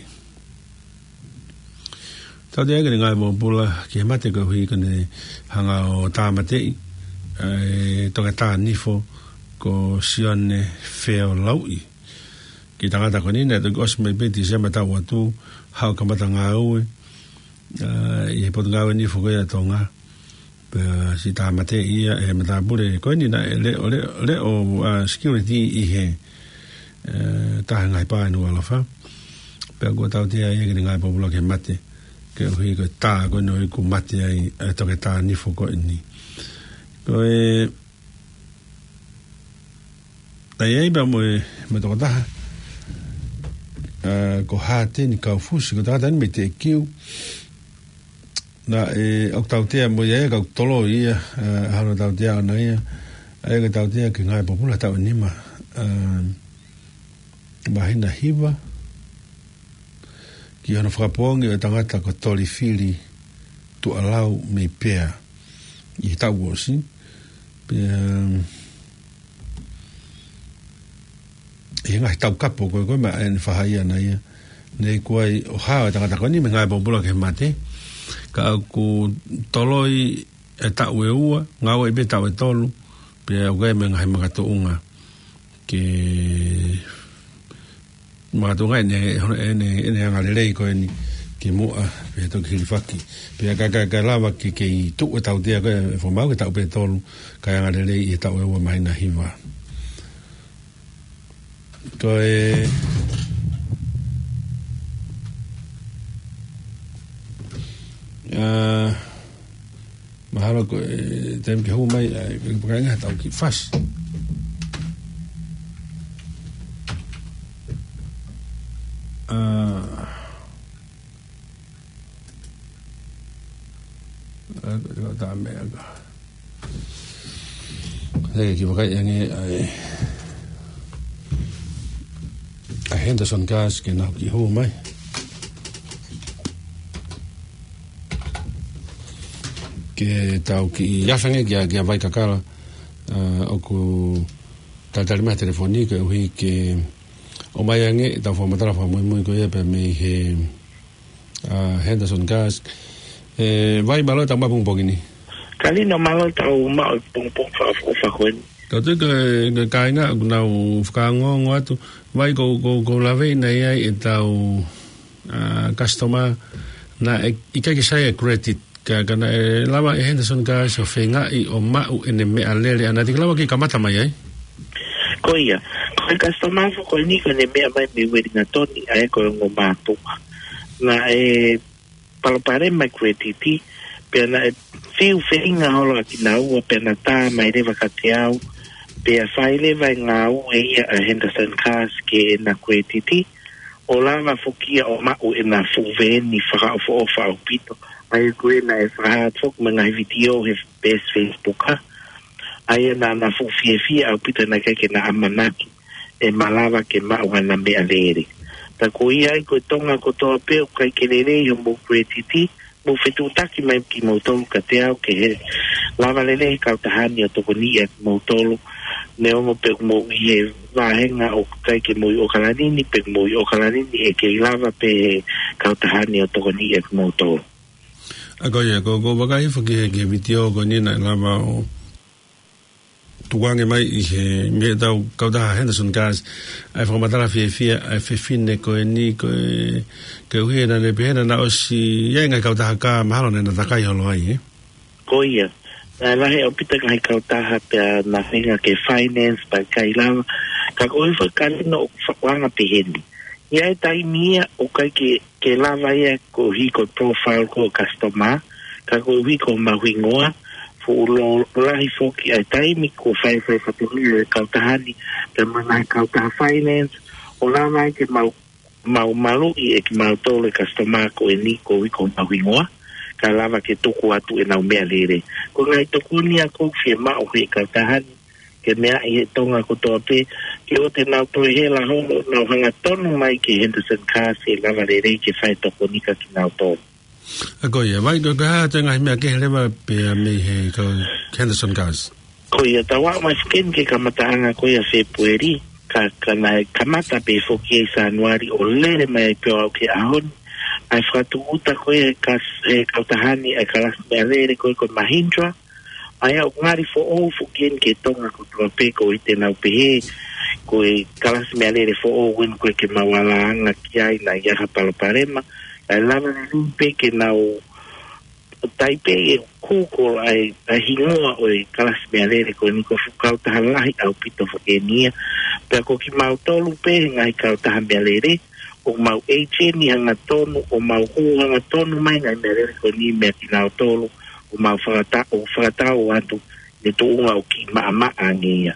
Tautea ʻene ngāue pōpula ki he mate koeʻuhi ko ʻene hanga ʻo tāmateʻi e toketā nifo ko Sione Feolauʻi. Kiʻi tangata ko eni naʻe toki ʻosi mai pē Tīsema taʻu atu, haʻu ʻo kamata ngāue, ā, ʻi he Potungāue Nifo ko ia ʻa Tonga. Pea siʻi tāmateʻi ia ʻe he matāpule ko eni naʻe leʻo, leʻo, leʻo, ā, security ʻi he, ē, taha e ngaahi pā ʻi Nukuʻalofa. Pea kuo tautea ia ki heʻene ngāue pōpula ki he mate, koeʻuhi ko e tā ko eni ʻoku mate ai e toketā nifo ko eni. Ko e, ʻa ia pea mo e, mo e tokotaha, ā, ko Hāteni Kaufusi, ko e tangata eni mei Teʻekiu. Naʻe, ʻoku tautea mo ia, ʻa ia ʻoku toloi ia, ā, ʻa hono tautea ʻona ia, ʻa ia ʻoku tautea ki he ngāue pōpula taʻu ʻe nima, ā, māhina hiva, ki hono fakapoongi ʻo e tangata ko Tolifili Tuʻalau mei Pea ʻi he taʻu kuo ʻosi. Pea, ʻi he ngaahi taukapo ko ē, ko ē maʻa eni fahaia na ia. Naʻe ʻikai ʻo hao e tangata ko eni mei he ngāue pōpula ki he mate. Ka ʻoku toloi e taʻu ʻe ua, ngāueʻi pē taʻu ʻe tolu, pea ʻoku ʻi ai mo e ngaahi makatuʻunga ke makatuʻunga ʻene, ʻene, ʻene anga lelei ko eni ki muʻa, pea toki hilifaki. Pea ka, ka, ka lava ke, ke tuʻu e tautea ko ē ʻa e fakamaau ki he taʻu pē ʻe tolu, kae anga lelei ʻi he taʻu ʻe ua māhina hiva. Ko e, ʻa, mahalo ko e taimi ke hū mai, ʻa, ʻe, ʻe, ʻe, ʻe, tau kiʻi fasi. ʻA, ʻa, ko e tā meʻa ka. Sai, kiʻi vakai ange ʻa e, ʻa e Henderson Gas ke nau kiʻi hū mai. Ke tau kiʻi afe ange kia, kia Vai Kakala, ʻa, ʻoku talitali mai he telefoni koeʻuhi ke ʻomai ange ʻetau fakamatala fakamuimui ko ia pea mei he ʻa Henderson Gas. ʻE, Vai, mālō e tau maʻu e pongipongi ni. Kalino, mālō e tau maʻu e pongipongi fakaʻofoʻofa ko eni. Ka tui ko e, ko e kāinga ʻoku nau fakaongoongo atu. Vai, ko, ko, ko e lave ʻeni ʻa e, ʻetau, ʻa, customer naʻe ʻikai ke sai e credit. Ka, ka naʻe lava ʻe Henderson Gas ʻo feingaʻi ʻo maʻu ʻene meʻalele, ʻa naʻe toki lava ke kamata mai ai. Ko ia, ko e customer foki ko eni ko ʻene meʻa mai mei Uelingatoni, ʻa ia ko e ongo mātuʻa. Naʻe palopalema e credit, pea naʻe fiu feinga holo ʻa kinaua, pea naʻe tā mai leva kiate au, pea fai leva e ngāue ia ʻa Henderson Gas ki heʻena credit, ʻo lava foki ia ʻo maʻu ʻena fuʻu veeni fakaʻofoʻofa ʻaupito. ʻA ia ko ē naʻe fakahā atu foki mo e ngaahi vitiō he peesi Facebook, ʻa ia naʻá na fuʻu fiefia ʻaupito naʻe ʻikai ke na ʻamanaki ʻe malava ke maʻu haʻana meʻalele. Ka ko ia ai ko e Tonga kotoa pē ʻoku ʻikai ke lelei homou credit, mou fetuʻutaki mai kimoutolu kiate au ke lava lelei e kautaha ni ʻo tokoniʻi ʻa kimoutolu. Neongo pe ʻoku mou ʻi he vāhenga ʻoku ʻikai ke mou ʻi ʻOkalani ni, pe ʻoku mou ʻi ʻOkalani ni, ʻe kei lava pē he kautaha ni ʻo tokoniʻi ʻa kimoutolu. ʻA ko ia, ko, ko e vakai foki ki he, ki he vitiō ko eni naʻe lava ʻo tukuange mai ʻi he, mei heʻetau kautaha Henderson Gas, ʻa e fakamatala fiefia ʻa e fefine ko eni, ko e, koeʻuhi naʻá ne pehē naʻá na ʻosi ʻi ai e ngaahi kautaha ka mahalo naʻá na takai holo ai, ē? Ko ia. Naʻe lahi ʻaupito e ngaahi kautaha pea na feinga ke finance pea ʻikai lava. Ka ko e foʻi kalino ʻoku fa-, anga pehē ni. ʻI ai e taimi ia ʻoku ʻikai ke, ke lava ia koeʻuhi ko e profile ko e customer, ka koeʻuhi ko homau hingoa, fuʻu lō lahi foki ʻa e taimi kuo fai, fai fatongia e kautaha ni, pea mo e ngaahi kautaha finance, ʻo lava ai ke mau, mau maluʻi ʻe kimautolu e customer ko eni koeʻuhi ko homau hingoa, kae lava ke tuku atu ʻenau meʻalele. Ko e ngaahi tokoni ia ʻoku fiemaʻu he kautaha ni, ke meaʻi ʻe he Tonga kotoa pē, ke ʻoua te nau toe hela holo, nau hangatonu mai ki he Henderson Gas ʻe lava lelei ke fai tokoni kia kinautolu. ʻA ko ia, Vai, ko e hā atu e ngaahi meʻa kehe leva pea mei he kau Henderson Gas? Ko ia, tau aʻu mai foki eni ki he kamataʻanga ko ia ʻo Fēpueli, ka, ka naʻe kamata pē foki ʻi Sānuali ʻo lele mai ai pē ʻo aʻu ki he ʻaho ni. ʻA e fakatūʻuta ko ia ʻe he kas-, ʻe he kautaha ni ʻa e kalasi meʻalele ko ia ko e Mahindra, ʻa ia ʻoku ngali foʻou foki eni ki he Tonga kotoa pē, koeʻuhi te nau pehē ko e kalasi meʻalele foʻou eni ko ē ke mau alāanga ki ai naʻe ʻi ai ha palopalema. Kae lava lelei pē ke nau taipe ʻe Google ʻa e, ʻa e hingoa ʻo e kalasi meʻalele ko eni, ko e fuʻu kautaha lahi ʻaupito foki eni ia. Pea ko kimautolu pē he ngaahi kautaha meʻalele, ʻoku mau agent hangatonu, ʻo mau hū hangatonu mai e ngaahi meʻalele ko eni meia kinautolu, ʻo mau fakata-, ʻo fakatau atu ʻi he tuʻunga ʻoku kiʻi maʻamaʻa ange ia.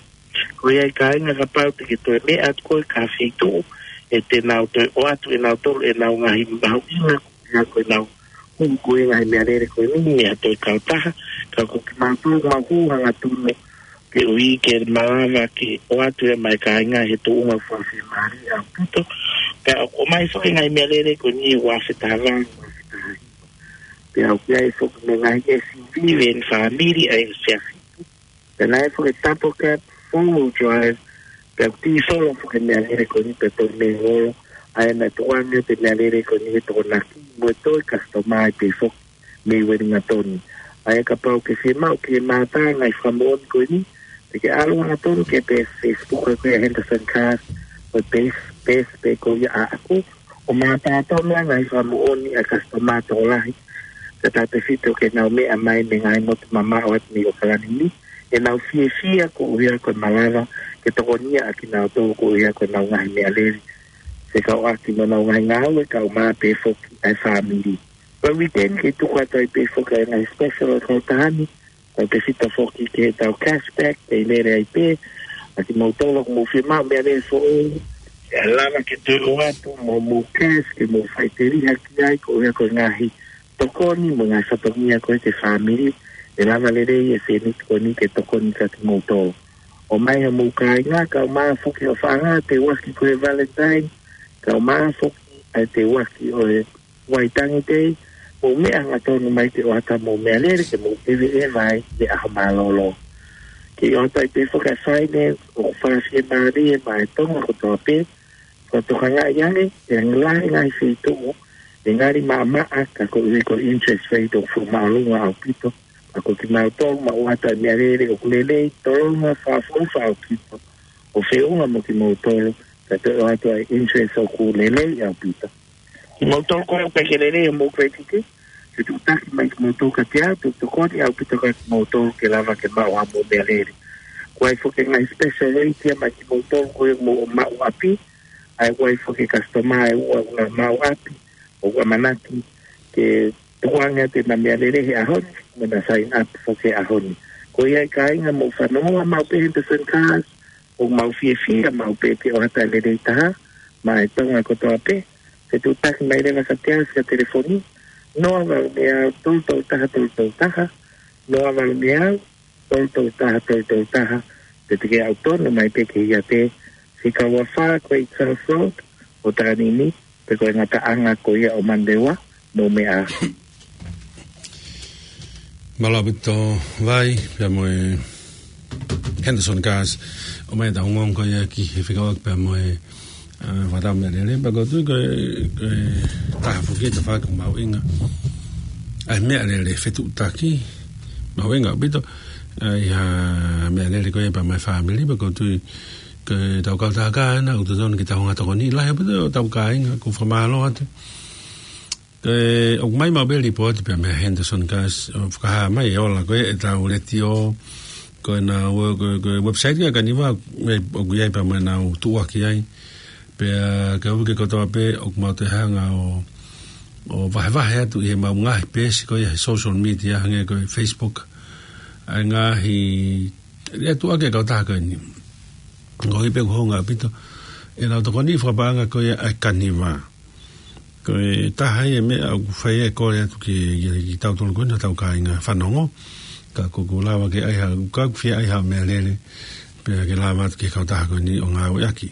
Ko ia ai kāinga, kapau te ke toe meʻa atu koe ki ha feituʻu, ʻe te nau toe ʻoatu ʻe nautolu ʻenau ngaahi mahuʻinga, ko ia ko ʻenau hū ko ia e ngaahi meʻalele ko eni mei ha toe kautaha, ka ko kimautolu mau hū hangatonu, koeʻuhi ke malava ke ʻoatu ia maʻa e kāinga he tuʻunga fiemālie ʻaupito. Pea ʻoku ʻomai foki e ngaahi meʻalele ko eni he ua afe taha valu, ua afe taha hiva. Pea ʻoku ʻi ai foki mo e ngaahi S U V, veni fāmili, ʻa e ʻe fitu. Pea naʻe foki e Double Cab four-wheel drive, pea ʻoku tīsolo foki e meʻalele ko eni pea toe mei holo, ʻa ia naʻe tukuange atu e meʻalele ko eni he Tokonaki, mo e toe kasitomaiti pē foki mei Wellington. ʻA ia kapau ʻoku ke fiemaʻu ke mātā e ngaahi fakamoʻoni ko eni, te ke ʻalu hangatonu ki he peesi Facebook ko ia Henderson Cars, ko e peesi, peesi pē ko ia ʻaʻaku, ʻo mātā tonu e ngaahi fakamoʻoni ʻa e kasitomaiti tokolahi, kae tautefito ki heʻenau meʻa mai mei he ngaahi motu mamaʻo atu mei ʻAokalani ni, ʻenau fiefia koeʻuhi ko e malava ke tokonia ʻa kinautolu koeʻuhi ko ʻenau ngaahi meʻalele, fekauʻaki mo ʻenau ngaahi ngāue kaeʻumaʻā pē foki ʻa e fāmili. Ko e weekend ke tuku atu ai pē foki ʻa e ngaahi special ʻo e kautaha ni, tautefito foki ki heʻetau cashback, ʻe lele ai pē ʻa kimoutolu ʻoku mou fiemaʻu meʻalele foʻou, ʻe lava ke toe ʻoatu mo mou cash ke mou faʻiteliha ki ai koeʻuhi ko e ngaahi tokoni mo e ngaahi fatongia ko ē ki he fāmili, ʻe lava lelei e fēniti ko eni ke tokoni kia kimoutolu. ʻOmai hoʻomou kāinga, kaeʻumaʻā foki hoʻo faʻahinga, teuaki ko e Valentine, kaeʻumaʻā foki ʻa e teuaki ʻo e Waitangi Day, mou meʻa hangatonu mai ke ʻoatu hoʻomou meʻalele ke mou ʻeveʻeva ai he ʻaho mālōlō. Ke ʻoatu ai pē foki ʻa e faine ʻoku fakafiemālie maʻa e Tonga kotoa pē, fakatokangaʻi ange, ʻe lahi e ngaahi feituʻu ʻe ngali maʻamaʻa ka koeʻuhi ko e interest rate ʻoku fuʻu māʻolunga ʻaupito, ka ko kimautolu maʻu atu e meʻalele ʻoku lelei, tolonga, fakaʻofoʻofa ʻaupito, ʻo feʻunga mo kimoutolu, ka toe ʻoatu e interest ʻoku lelei ʻaupito. Kimoutolu ko ē ʻoku ʻikai ke lelei hoʻomou credit, fetuʻutaki mai kimoutolu kiate au, te u tokoni ʻaupito kia kimoutolu ke lava ke maʻu haʻamou meʻalele. ʻOku ʻi ai foki e ngaahi special rate ia maʻa kimoutolu ko ē ʻoku mou maʻu ʻapi, ʻa ia ʻoku ʻi ai foki e kasitomaiti ʻe ua ʻoku nau maʻu ʻapi, ʻoku ʻamanaki ke tukuange atu ʻenau meʻalele he ʻaho ni, mo ʻenau sign up foki he ʻaho ni. Ko ia e kāinga, mou fanongo maʻu pē Henderson Cars, ʻoku mau fiefia maʻu pē ke ʻoatu e lelei taha maʻa e Tonga kotoa pē. Fetuʻutaki mai leva kiate au via telefoni, noa valu meau tolu tolu taha tolu tolu taha, noa valu meau tolu tolu taha tolu tolu taha, pe te ke ʻalu tonu mai pē ki he iate, fika ua fā ko e Charles Road, ʻOtakanini, pe ko e ngataʻanga ko ia ʻo Manurewa, mou meʻa. Mālō ʻaupito Vai, pea mo e Henderson Cars, ʻomai ʻetau ongoongo ko ia ki he fekauʻaki pea mo e, ʻa, fakatau meʻalele, pea ʻoku ou tui ko e, ko e taha foki e tafaʻaki mahuʻinga ʻa e meʻalele fetuʻutaki, mahuʻinga ʻaupito, ʻa, ʻi ha meʻalele ko ia pea mo e fāmili, pea ʻoku ou tui ko ʻetau kautaha ko ena, ʻoku totonu ke tau hanga ʻo tokoni lahi ʻaupito ʻetau kāinga, ʻoku ou fakamālō atu. Ko e, ʻoku ʻomai maʻu pē e lipooti pea mei he Henderson Cars, ʻo fakahā mai e ola ko ē ʻetau letiō, ko ʻenau, ko, ko e website ko ē ʻa Kaniva, ʻoku ʻi ai pea mo ʻenau tuʻuaki ai. Pea ko e uike kotoa pē, ʻoku mau toe hanga ʻo, ʻo vahevahe atu ʻi heʻemau ngaahi peesi ko ia he social media hangē ko e Facebook, ʻa e ngaahi, ʻa e tuʻuaki e kautaha ko eni. Ko e pē ʻoku hounga ʻaupito ʻenau tokoni fakapaʻanga ko ia ʻa e Kaniva. Ko e taha ia e meʻa ʻoku fai e kole atu ki, ki, kitautolu ko eni ʻoku tau kāinga fanongo. Ka ʻoku, ʻoku lava ke ʻai ha, ka ʻoku fie ʻai ha meʻalele, pea ke lava atu ki he kautaha ko eni ʻo ngāueʻaki.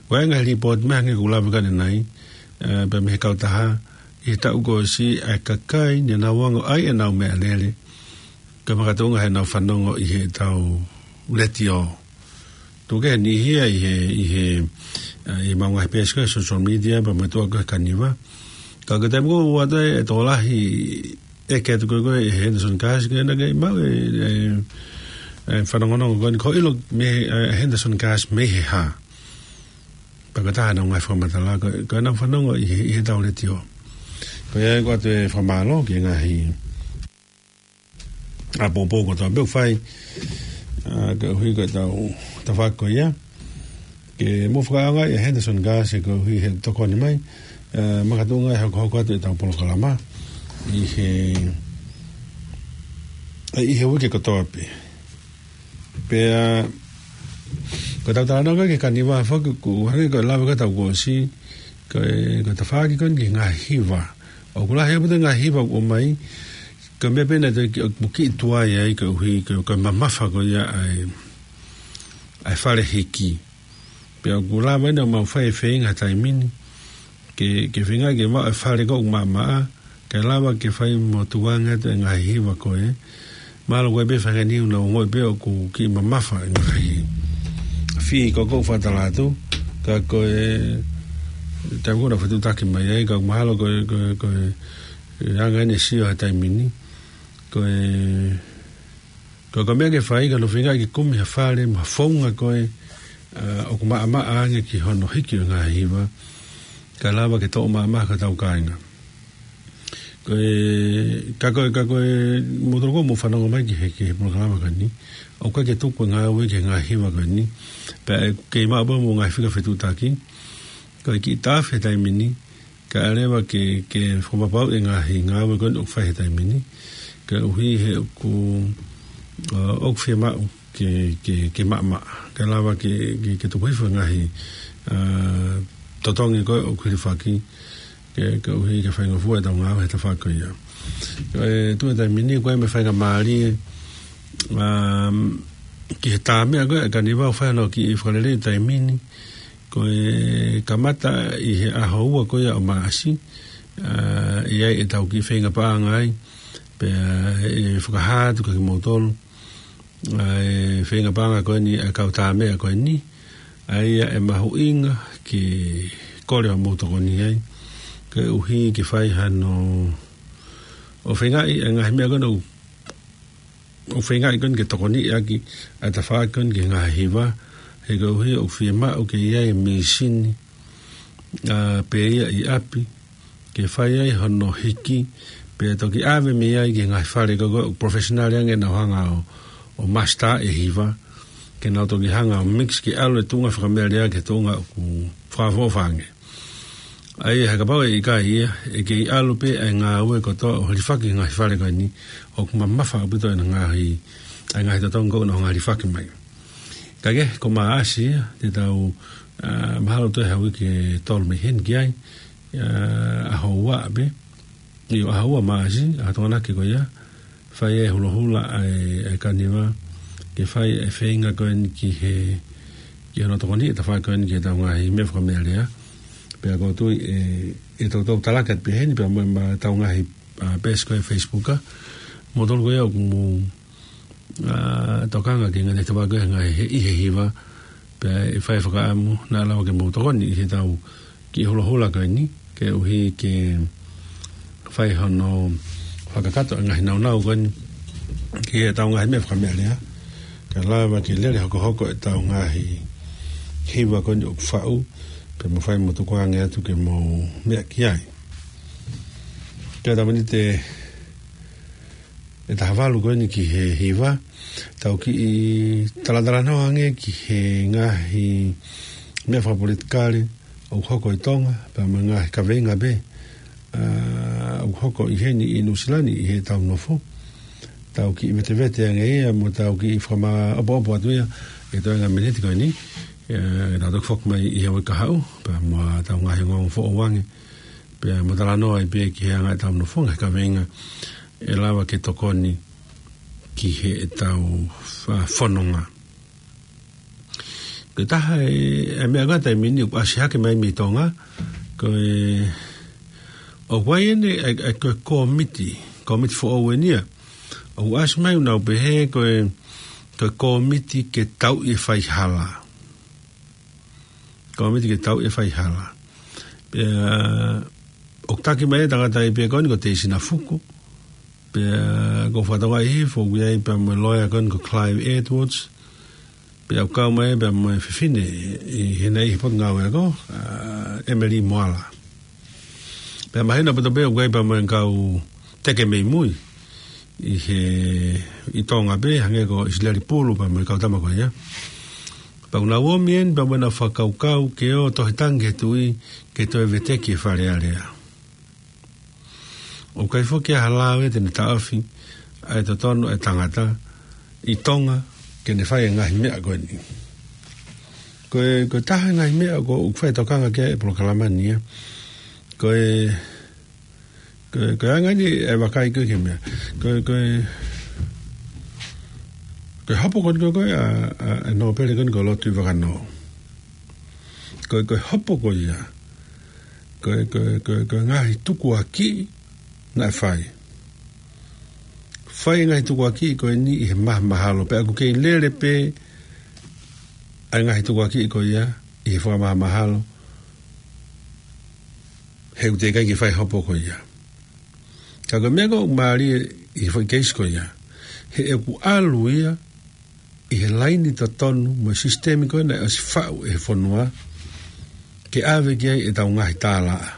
ʻOku ʻi ai e ngaahi lipooti mai hangē ʻoku lave ki ai ʻanenai, ē, pea mei he kautaha, ʻi he taʻu kuo ʻosi ʻa e kakai ne nau ongoʻi ʻenau meʻalele, ka makatuʻunga heʻenau fanongo ʻi heʻetau letiō. Tuku kehe e niʻihi ia ʻi he, ʻi he, ʻa, ʻi heʻemau ngaahi peesi ko ē social media, pea mo e tuʻuaki ko ē ʻa Kaniva. Ka ko e taimi ko ē ʻoku ʻoatu ai e tokolahi ʻeke atu ko ē ko ē ʻe he Henderson Cars ke na ke maʻu e, e, e fanongonongo ko eni ko e ʻilo mei he, e, Henderson Cars mei he hā. Pea ko e taha ʻenau ngaahi fakamatala, ko, ko ʻenau fanongo ʻi he, ʻi heʻetau letiō. Ko ia ʻoku ʻoatu e fakamālō ki he ngaahi ʻapoʻopo kotoa pē ʻoku fai, ʻa, koeʻuhi ko ʻetau tafaʻaki ko ia. Ke mou fakaʻaongaʻi e Henderson Cars koeʻuhi he tokoni mai, ʻa, makatuʻunga e hokohoko atu ʻetau polokalama ʻi he, ʻi he uike kotoa pē. Pea, ko ʻetau talanoa ko ē ki he Kaniva foki, ʻoku hangē ko e lave ko ē ʻetau kuo ʻosi, ko e, ko e tafaʻaki ko eni ki he ngaahi hiva. ʻOku lahi ʻaupito e ngaahi hiva ʻoku ʻomai, ko e meʻa pē naʻe toe ki, ʻoku kiʻi tuai ai koeʻuhi, ko, ko e mamafa ko ia ʻa e, ʻa e fale hiki. Pea ʻoku lava ʻeni ʻo mau fai e feinga he taimi ni, ke, ke feinga ke maʻu e fale ko ē ʻoku maʻamaʻa, ke lava ke fai mo tukuange atu e ngaahi hiva ko ē, Mahalo ko e pē faʻahinga ni ʻoku nau ongoʻi pē ʻoku kiʻi mamafa e ngaahi fī ko ē ʻoku ou fakatalatu. Ka ko e taimi ko ē naʻa ku fetuʻutaki mai ai, ka ʻoku mahalo ko e, ko e, ko e, e anga ʻene sio he taimi ni. Ko e, ko e, ko e meʻa ke fai, ka hono feingaʻi ke kumi ha fale mo ha founga ko ē, ʻa, ʻoku maʻamaʻa ange ki hono hiki ʻo e ngaahi hiva, kae lava ke toʻo maʻamaʻa ki hotau kāinga. Ko e, ka ko e, ka ko e, mou tokanga ke mou fanongo mai ki he, ki he polokalama ko eni. ʻOku ʻikai ke tuku e ngāue ki he ngaahi hiva ko eni. Pea ʻe kei maʻu pē mo e ngaahi fika fetuʻutaki. Ko e kiʻi tafe he taimi ni, kae ʻalu leva ke, ke fakapapauʻi e ngaahi ngāue ko eni ʻoku fai he taimi ni. Koeʻuhi he ʻoku, ʻa, ʻoku fiemaʻu ke, ke, ke maʻamaʻa. Kae lava ke, ke, ke tuku hifo e ngaahi, ʻa, totongi ko ē ʻoku hilifaki, ke, koeʻuhi ke faingofua ʻetau ngāue he tafaʻaki ko ia. Ko e tuʻu he taimi ni, ko e meʻa faingamālie, ʻa, ki he tā meʻa ko ē ʻa e Kaniva ʻoku fai hono kiʻi fakalelei he taimi ni, ko e kamata ʻi he ʻaho ua ko ia ʻo Maʻasi, ʻa, ʻe ʻi ai ʻetau kiʻi feinga paʻanga ai, pea ʻe fakahā atu kiate kimoutolu ʻa e feinga paʻanga ko eni ʻa e kau tā meʻa ko eni, ʻa ia ʻe mahuʻinga ke kole hoʻomou tokoni ai, koeʻuhi ke fai hano ʻo feingaʻi e ngaahi meʻa ko eni ʻoku, ʻoku feingaʻi ko eni ke tokoniʻi ʻaki ʻa e tafaʻaki ko eni ki he ngaahi hiva, he koeʻuhi ʻoku fiemaʻu ke ʻi ai e mīsini, ʻa, pē ia ʻi ʻapi, ke fai ai hono hiki, pea toki ʻave mei ai ki he ngaahi fale ko ē ʻoku professional ange ʻenau hanga ʻo, ʻo master e hiva, ke nau toki hanga ʻo mix ke ʻalu e tuʻunga fakameʻalea ki he tuʻunga ʻoku fakaʻofoʻofa ange. ʻA ia he kapau ʻe ʻikai ia, ʻe kei ʻalu pē ʻa e ngāue kotoa ʻo hilifaki e ngaahi fale ko eni, ʻoku mamafa ʻaupito ʻena ngaahi, ʻa e ngaahi totongi ko ē ʻoku nau hanga ʻo hilifaki mai. Ka ke, ko Maʻasi ia, te tau, ʻa, mahalo toe ha uike ʻe tolu mei heni ki ai, ʻa, ʻaho ua pē, ʻio ʻaho ua Maʻasi, ʻa e tokonaki ko ia, fai e hulahula ʻa e, ʻa e Kaniva, ke fai e feinga ko eni ki he, ki hono tokoniʻi e tafaʻaki ko eni ki heʻetau ngaahi meʻa fakameʻalea, pea ʻoku ou tui ʻe, ʻe toutou talaki atu pē heni, pea mo, mo ʻetau ngaahi, ʻa, peesi ko ē he Facebook, ʻa, moutolu ko ia ʻoku mou ʻa, tokanga ki he ngaahi tafaʻaki ko ē he ngaahi he, ʻi he hiva, pea ʻe fai fakaʻamu, naʻa lava ke mou tokoni ʻi heʻetau kiʻi hulahula ko eni, koeʻuhi ke fai hono fakakakato e ngaahi naunau ko eni, ki heʻetau ngaahi meʻa fakameʻalea, kae lava ke lele hokohoko ʻetau ngaahi hiva ko eni ʻoku faʻu, pea mou fai mo tukuange atu ke mou meʻa ki ai. Ke tamani te ʻe taha valu ko eni ki he hiva, tau kiʻi talatalanoa ange ki he ngaahi meʻa fakapolitikale ʻoku hoko ʻi Tonga, pea mo e ngaahi kaveinga pē, ʻa, ʻoku hoko ʻi heni ʻi Nuʻusila ni ʻi heʻetau nofo. Tau kiʻi vetevete ange ia, mo tau kiʻi fakamaʻopoʻopo atu ia, ʻi he toenga miniti ko eni, ʻe, tau toki foki mai ʻi he uike kahaʻu, pea mo ʻetau ngaahi ongoongo foʻou ange, pea mo talanoa ai pē ki he anga ʻetau nofonga he kaveinga, ʻe lava ke tokoni ki heʻetau fa-, fononga. Ko e taha e, e meʻa ko ē he taimi ni ʻoku ʻasi hake mai mei Tonga, ko e, ʻoku ʻi ai ʻeni, e, e, ko e kōmiti, kōmiti foʻou ʻeni ia. ʻOku ʻasi mai ʻoku nau pehē, ko e, ko e kōmiti ke tauʻi e faihala. Kōmiti ke tauʻi e faihala. Pea, ʻoku taki mai e tangataʻeiki pē ko eni ko Teisina Fuku. Pea, ʻoku ou fakatokangaʻi hifo, ʻoku ʻi ai pea mo e loea ko eni ko Clive Edwards. Pea ʻoku kau mai pea mo e fefine, ʻi hena ʻi he potungāue ako, ʻa, Emily Moala. Pea mahino ʻaupito pē ʻoku ʻi ai pea mo e kau teke mei mui. ʻI he, ʻi Tonga pē, hangē ko ʻIsileli Pulu pea mo e kau tama ko ia. Pea ʻoku nau ʻomi ʻeni pea mo ʻenau fakakaukau ke ō tohi tangi ki he tuʻi, ke toe veteki e Fale Alea. ʻOku ʻikai foki ha lave te ne taʻofi ʻa e totonu ʻa e tangata ʻi Tonga ke ne fai e ngaahi meʻa ko eni. Ko e, ko e taha e ngaahi meʻa ʻoku ou fai tokanga ki ai he polokalama ni ia. Ko e, ko e, ko e anga ʻeni e vakai ko ē ki he meʻa. Ko e, ko e, ko e hopo ko eni ko ē ʻa, ʻa, ʻa e nōpele ko eni ko Lord Tuʻivakanō. Ko e, ko e hopo ko ia. Ko e, ko e, ko e, ko e ngaahi tukuakiʻi naʻe fai. fai e ngaahi tukuakiʻi ko eni ʻi he mahamahalo, pea ʻoku kei lele pē ʻa e ngaahi tukuakiʻi ko ia ʻi he fakamahamahalo, he ʻoku teʻeki ai ke fai hopo ko ia. Ka ko e meʻa ko ē ʻoku mālie ʻi he foʻi keisi ko ia, he ʻoku ʻalu ia ʻi he laini totonu mo e sisitemi ko ē naʻe ʻosi faʻu ʻe he fonua ke ʻave ki ai ʻetau ngaahi tālaʻa.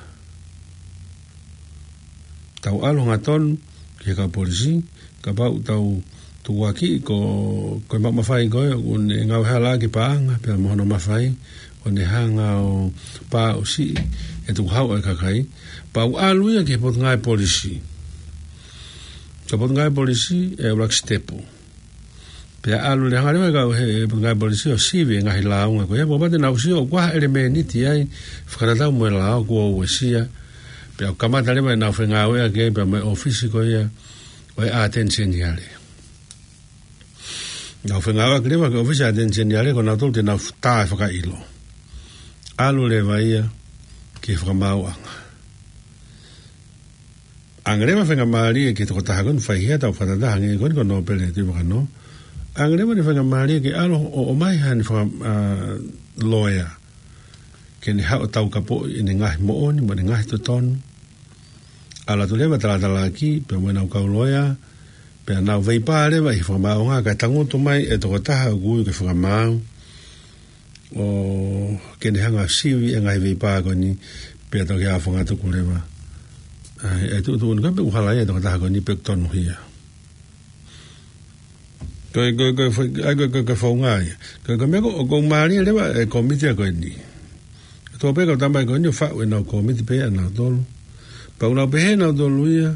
Tau ʻalu hangatonu ki he kau polisi, kapau ʻoku tau tukuakiʻi ko, ko e maʻu mafai ko ē ʻoku ne ngāue hala ki he paʻanga, pea mo hono mafai, ʻo ne hanga ʻo pāʻusiʻi e tukuhau ʻa e kakai, pea ʻalu ia ki he potungāue polisi. Ko e potungāue polisi ʻe ʻuluaki sitepu. Pea ʻalu leva hanga leva e kau he, he potungāue polisi ʻo sivi e ngaahi lāunga ko ia, pea pau te nau sio ʻoku ʻi ai ha ʻelemēniti ai fakatatau mo e lao kuo uesia. Pea kamata leva ʻenau fengāueʻaki ai pea mo e ʻōfisi ko ia ʻo e ʻAteni Seniale. Nau fengāueʻaki leva ki he ʻōfisi ʻAteni Seniale, ko nautolu te nau tā e fakaʻilo. ʻAlu leva ia ki he fakamaauʻanga. ʻAnge leva faingamālie ki he tokotaha ko eni, faihia tau fakatataha ange ko eni ko Nōpele Tuʻivakanō. ʻAnge leva ʻene faingamālie ke ʻalu ʻo, ʻomai haʻane faka-, ā, loea, ke ne haʻu ʻo taukapoʻi ʻene ngaahi moʻoni mo ʻene ngaahi totonu. ʻAlu atu leva talatalaaki pea mo ʻenau kau loea, pea nau veipā leva ʻi he fakamaauʻanga, kae tangutu mai e tokotaha ʻoku ui ke fakamaau, ʻo ke ne hanga ʻo sivi e ngaahi veipā ko eni, pea toki ʻalu ʻo fangatuku leva ʻa e, e tuʻutuʻuni ko ē pe ʻoku hala ia e tokotaha ko eni pe ʻoku tonuhia. Ko e, ko e, ko e, ko e, ko e, ko e founga ia. Ko e, ko e meʻa ko, ʻoku mālie leva e kōmiti ko eni. Tō pē kau tama ko eni ʻo faʻu ʻenau kōmiti pē ʻanautolu. Pea ʻoku nau pehē ʻanautolu ia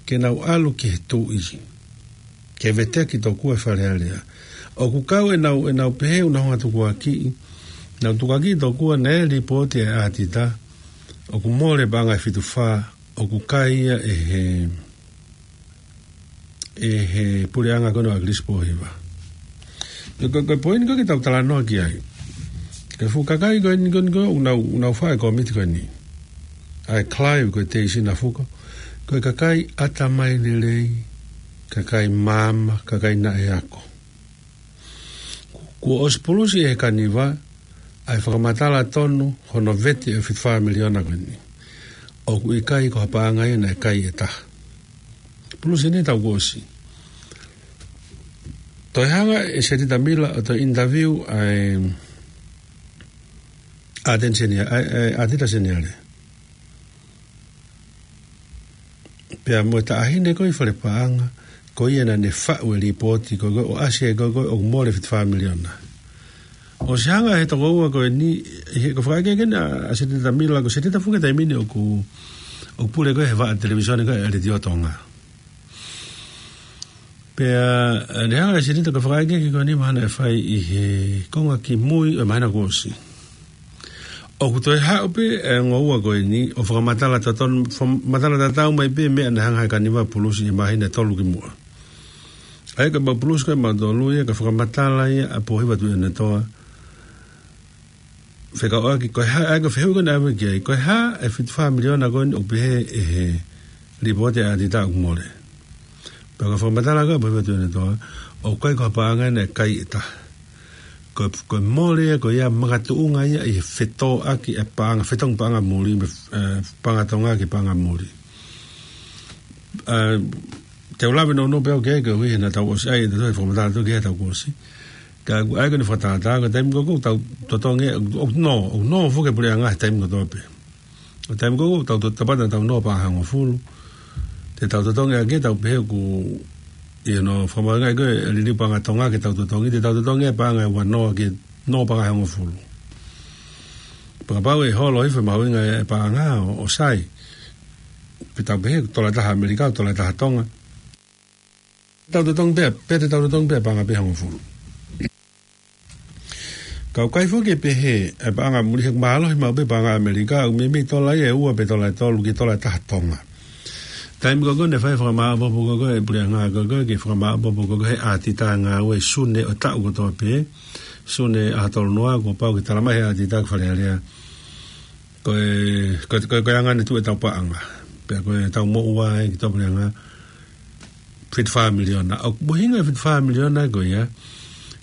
ke nau ʻalu ki he Tuʻi ke veteki tokua e Fale Alea. ʻOku kau ʻenau, ʻenau pehē ʻoku nau hanga ʻo tukuakiʻi, nau tukuakiʻi tokua naʻe lipooti e ʻatita ʻoku mole paʻanga ʻe fitu fā, ʻoku kai ia ʻe he, ʻe he puleʻanga ko eni ʻo ʻAkilisi Pōhiva. Ko, ko, ko e poini ko ē ke tau talanoa ki ai. Ko e fuʻu kakai ko eni, ko eni ko ē ʻoku nau, ʻoku nau fai e kōmiti ko eni, ʻa e Clive ko e Teisi Nafuko, ko e kakai ʻatamai lelei, kakai maama, kakai naʻe ako. Kuo ʻosi pulusi ʻe he Kaniva ʻa e fakamatala tonu hono vete e fitu fā miliona ko eni. ʻOku ʻikai ko ha paʻanga ia naʻe kai ʻe taha. Pulusi ʻeni he taʻu kuo ʻosi. Toe hanga ʻe Seneta Mila ʻo toe interview ʻa e ʻAteni Senia-, ʻa e, ʻa e ʻAtita Seniale. Pea mo e taʻahine ko ē ʻi Fale Paʻanga, ko ia naʻa ne faʻu e lipooti ko ē, ko ē ʻo ʻasi ai ko ē, ko ē ʻoku mole fitu fā miliona. ʻOsi hanga ʻe he tokoua ko eni, he ko e fakaʻekeʻeke ʻa, ʻa Seneta Mila, ko Seneta Fuke taimi ni ʻoku, ʻoku pule ko ē he vaʻa televīsone ko ē ʻa e Letiō Tonga. Pea, ē, ne hanga ʻe Seneta ko e fakaʻekeʻeke ko eni mahalo naʻe fai ʻi he konga kimui ʻo e māhina kuo ʻosi. ʻOku toe haʻu pē e ongo ua ko eni ʻo fakamatala tatau, fakamatala tatau mai pē meʻa naʻe hanga ʻe he Kaniva ʻo pulusi ʻi he māhina ʻe tolu kimuʻa. ʻA ia ko e mau pulusi ko ē mautolu ia, ka fakamatala ia ʻa Pōhiva Tuʻiʻonetoa fekauʻaki, ko e hā, ʻa ia ko e fehuʻi ko ē naʻe ʻave ki ai, ko e hā e fitu fā miliona ko eni ʻoku pehē ʻe he lipooti ʻa e ʻatita ʻoku mole. Pea ko e fakamatala ko ē ʻa Pōhiva Tuʻiʻonetoa, ʻoku ʻikai ko ha paʻanga naʻe kai ʻe taha. Ko e, ko e mole ia, ko ia makatuʻunga ia ʻi he fetōʻaki e paʻanga, fetongi paʻanga muli, mei, ē, paʻanga Tonga ki he paʻanga muli. Ē, te u lave nounou pē au ki ai, koeʻuhi he naʻa tau ʻosi ʻai ʻe tautolu e fakamatala ʻatautolu ki he taʻu kuo ʻosi. Ka ʻoku ʻai ko eni fakatātā, ko e taimi ko ē ʻoku tau totongi, ʻoku nō, ʻoku nō foki e puleʻanga he taimi kotoa pē. Ko e taimi ko ē ʻoku tau to-, tapata tau nō paʻanga ʻe hongofulu. Te tau totongi ʻaki, tau pehē ʻoku, ʻi hono fakamahuʻingaʻi ko ē e liliu paʻanga Tonga ke tau totongi, te tau totongi e paʻanga ʻe ua noa ke nō paʻanga ʻe hongofulu. Pea kapau ʻe holo hifo e mahuʻinga e paʻanga ʻo, ʻo sai, pea tau pehē ko e tola ʻe taha ʻAmelika, tola ʻe taha Tonga. Tau totongi pē, pea te tau totongi pē paʻanga pē ʻe hongofulu. Ka ʻoku ʻikai foki ke pehē e paʻanga muli, he ʻoku mālohi maʻu pē paʻanga ʻAmelika, ʻoku meimei tola ia ʻe ua pe tola ʻe tolu ki he tola ʻe taha Tonga. Taimi ko ē naʻe fai e fakamāʻopoʻopo ko ē ʻa e puleʻanga ko ē, ke fakamāʻopoʻopo ko ē ʻa e ʻatita ngāue Sune ʻo e taʻu kotoa pē, Sune ʻaho tolu noa, kuo pau ke tala mai ʻe he ʻatita ki Fale Alea ko e, ko e, ko e, ko e anga ʻene tuʻu ʻetau paʻanga, pea ko ʻetau moʻua ē ki he puleʻanga. fitu fā miliona. ʻOku ʻuhinga e fitu fā miliona ko ia,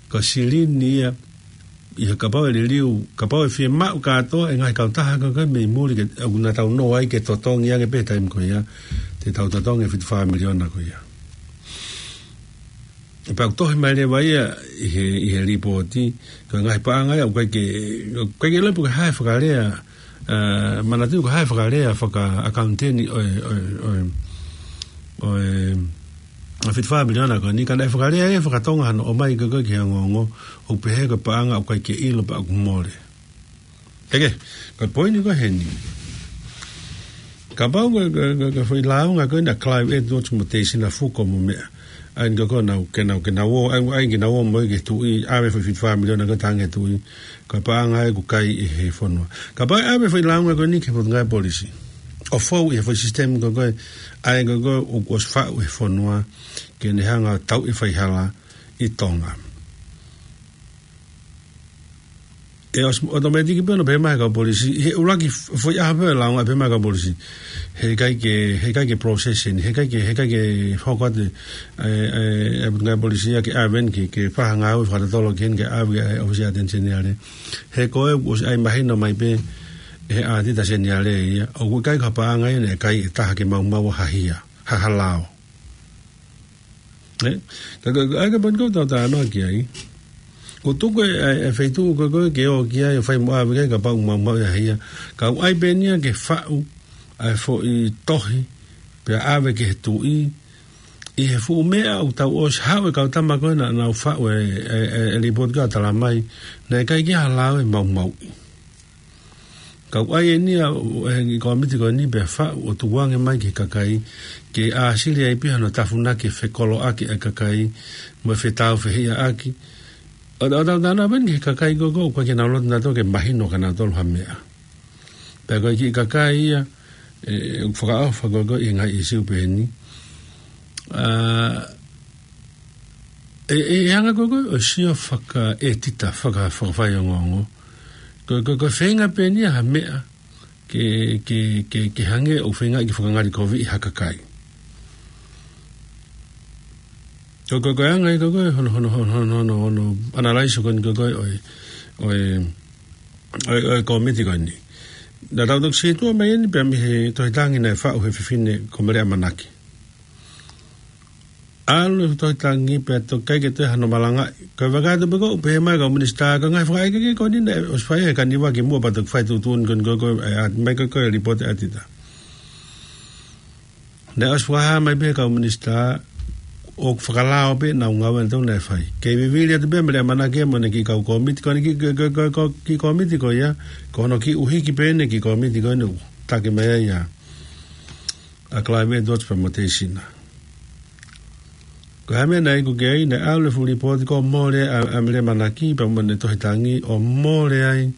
ko e silini ia, ʻi he kapau ʻe liliu, kapau ʻe fiemaʻu kātoa e ngaahi kautaha ko ē mei muli ke, ʻoku na tau nō ai ke totongi ange pē taimi ko ia, te tau totongi e fitu fā miliona ko ia. Pea ʻoku tohi mai leva ia ʻi he, ʻi he lipooti, ko e ngaahi paʻanga ia, ʻoku ʻikai ke, ʻoku ʻikai ke ʻilo pe ko e hā e fakalea, ē, manatuʻi ko e hā e fakalea fakaʻakauniteni ʻo e, ʻo e, ʻo e, ʻo e, ʻo e fitu fā miliona ko eni, ka naʻe fakalea ia fakatonga hano ʻomai ko ē ki he ongoongo, ʻo pehē ko e paʻanga ʻoku ʻikai ke ʻilo pe ʻoku mole. Eke, ko e poini ko ē heni. Kapau ko e, ko e, ko e, ko e foʻi lāunga ko ē ʻa Clive Edwards mo Teisina Fuko mo meʻa. ʻA eni ko ē ke nau, ke nau, ke nau ō, ʻa eni, ʻa eni ke nau ō mo ia ki he tuʻi, ʻave foʻi fitu fā miliona ko ē ʻo tangi ki he tuʻi. Ko e paʻanga ia ʻoku kai ʻe he fonua. Kapau ʻe ʻave foʻi lāunga ko eni ki he Potungāue Polisi, ʻo fou ʻi he foʻi sisitemi ko ē, ʻa eni ko ē ʻoku ʻosi faʻu ʻe he fonua, ke ne hanga ʻo tauʻi e faihala ʻi Tonga. ʻE ʻosi ʻotomētiki pē hono pehē mai ʻe he kau polisi, he ʻuluaki f-, foʻi ʻaho pē ʻo e lāunga pehē mai ʻe he kau polisi, he ʻikai ke, he ʻikai ke process eni, he ʻikai ke, he ʻikai ke hoko atu ʻa e, ʻa e, ʻa e Potungāue Polisi ia ke ʻave eni ke, ke fai ha ngāue fakatotolo ki heni ke ʻave ki he ʻōfisi ʻa e ʻAteni Seniale. He ko ē ʻoku ʻosi ʻai mahino mai pē ʻe he ʻAtita Seniale ia, ʻoku ʻikai ko ha paʻanga ia naʻe kai ʻe taha ke maumau ha hia, ha, ha lao. Ē? Ka, ka, ka, ʻa e ka pani kau tau talanoa ki ai. ʻOku tuku e, e, e feituʻu ko ē ke ō ki ai ʻo fai mo ʻave ki ai kapau ʻoku maumauʻi ha hia. Ka ʻoku ʻai pē eni ia ke faʻu ʻa e foʻi tohi, pea ʻave ki he tuʻi, ʻi he fuʻu meʻa ʻoku tau ʻosi haʻu e kau tama ko ē naʻa nau faʻu e, e, e, e lipooti ko ē ʻo tala mai, naʻe ʻikai ke ʻi ai ha lao ʻe maumauʻi. Ka ʻoku ʻai eni ia ʻe he kōmiti ko eni pea faʻu ʻo tukuange mai ki he kakai, ke ʻāsili ai pē hano tafunaki e fekoloʻaki ʻa e kakai, mo e fetāufehiʻaʻaki. ʻO, ʻo tau talanoa pē eni ki he kakai ko ē ʻoku ʻikai ke nau loto nautolu ke mahino kia nautolu ha meʻa. Pea ko e kiʻi kakai ia, ē, ʻoku fakaʻofa ko ē ʻi he ngaahi ʻīsiu pehē ni. Ā, ʻe, ʻe, ʻe hanga ko ē ʻo sio fakaʻētita, faka-, fakafaiongoongo. Ko, ko, ko e feinga pē eni ia ha meʻa ke, ke, ke, ke hangē ʻoku feinga ke fakangalikoviʻi ha kakai. Ko, ko, ko e anga ia ko ē hono, hono, hono analyze ko eni ko ē ʻo e, ʻo e, ʻo e, ʻo e kōmiti ko eni. Naʻa tau toki sītuʻa mai eni pea mei he tohi tangi naʻe faʻu ʻe he fefine ko Mele ʻAmanaki. ʻAlu e tohi tangi pea toki ʻikai ke toe hano malangaʻi. Ka ʻoku ou vakai atu pē ko ē ʻoku pehē mai e kau minisitā, ko e ngaahi fakaʻekeʻeke ko eni naʻe ʻosi fai ʻe he kaniva kimuʻa pea toki fai tuʻutuʻuni ko eni ko ē, ē, ʻa, mai ko ē ko e lipooti ʻa e ʻAtita. Naʻe ʻosi fakahā mai pē ʻe he kau minisitā, ʻoku fakalao pē ʻenau ngāue ʻa nautolu naʻe fai. Kei vivili atu pē ʻa Mele ʻAmanaki mo ʻene kiʻi kau kōmiti, ko ʻene kiʻi, ko, ko, ko, ko e kiʻi kōmiti ko ia, ko hono kiʻi ʻuhiki pē ʻene kiʻi kōmiti ko eni ʻoku taki mai ai ʻa, ʻa Clive Edwards pea mo Teisina. Ko e hā e meʻa naʻe iku ki ai? Naʻe ʻalu e fuʻu lipooti kuo mole ʻa, ʻa Mele ʻAmanaki pea mo ʻene tohi tangi, ʻo mole ai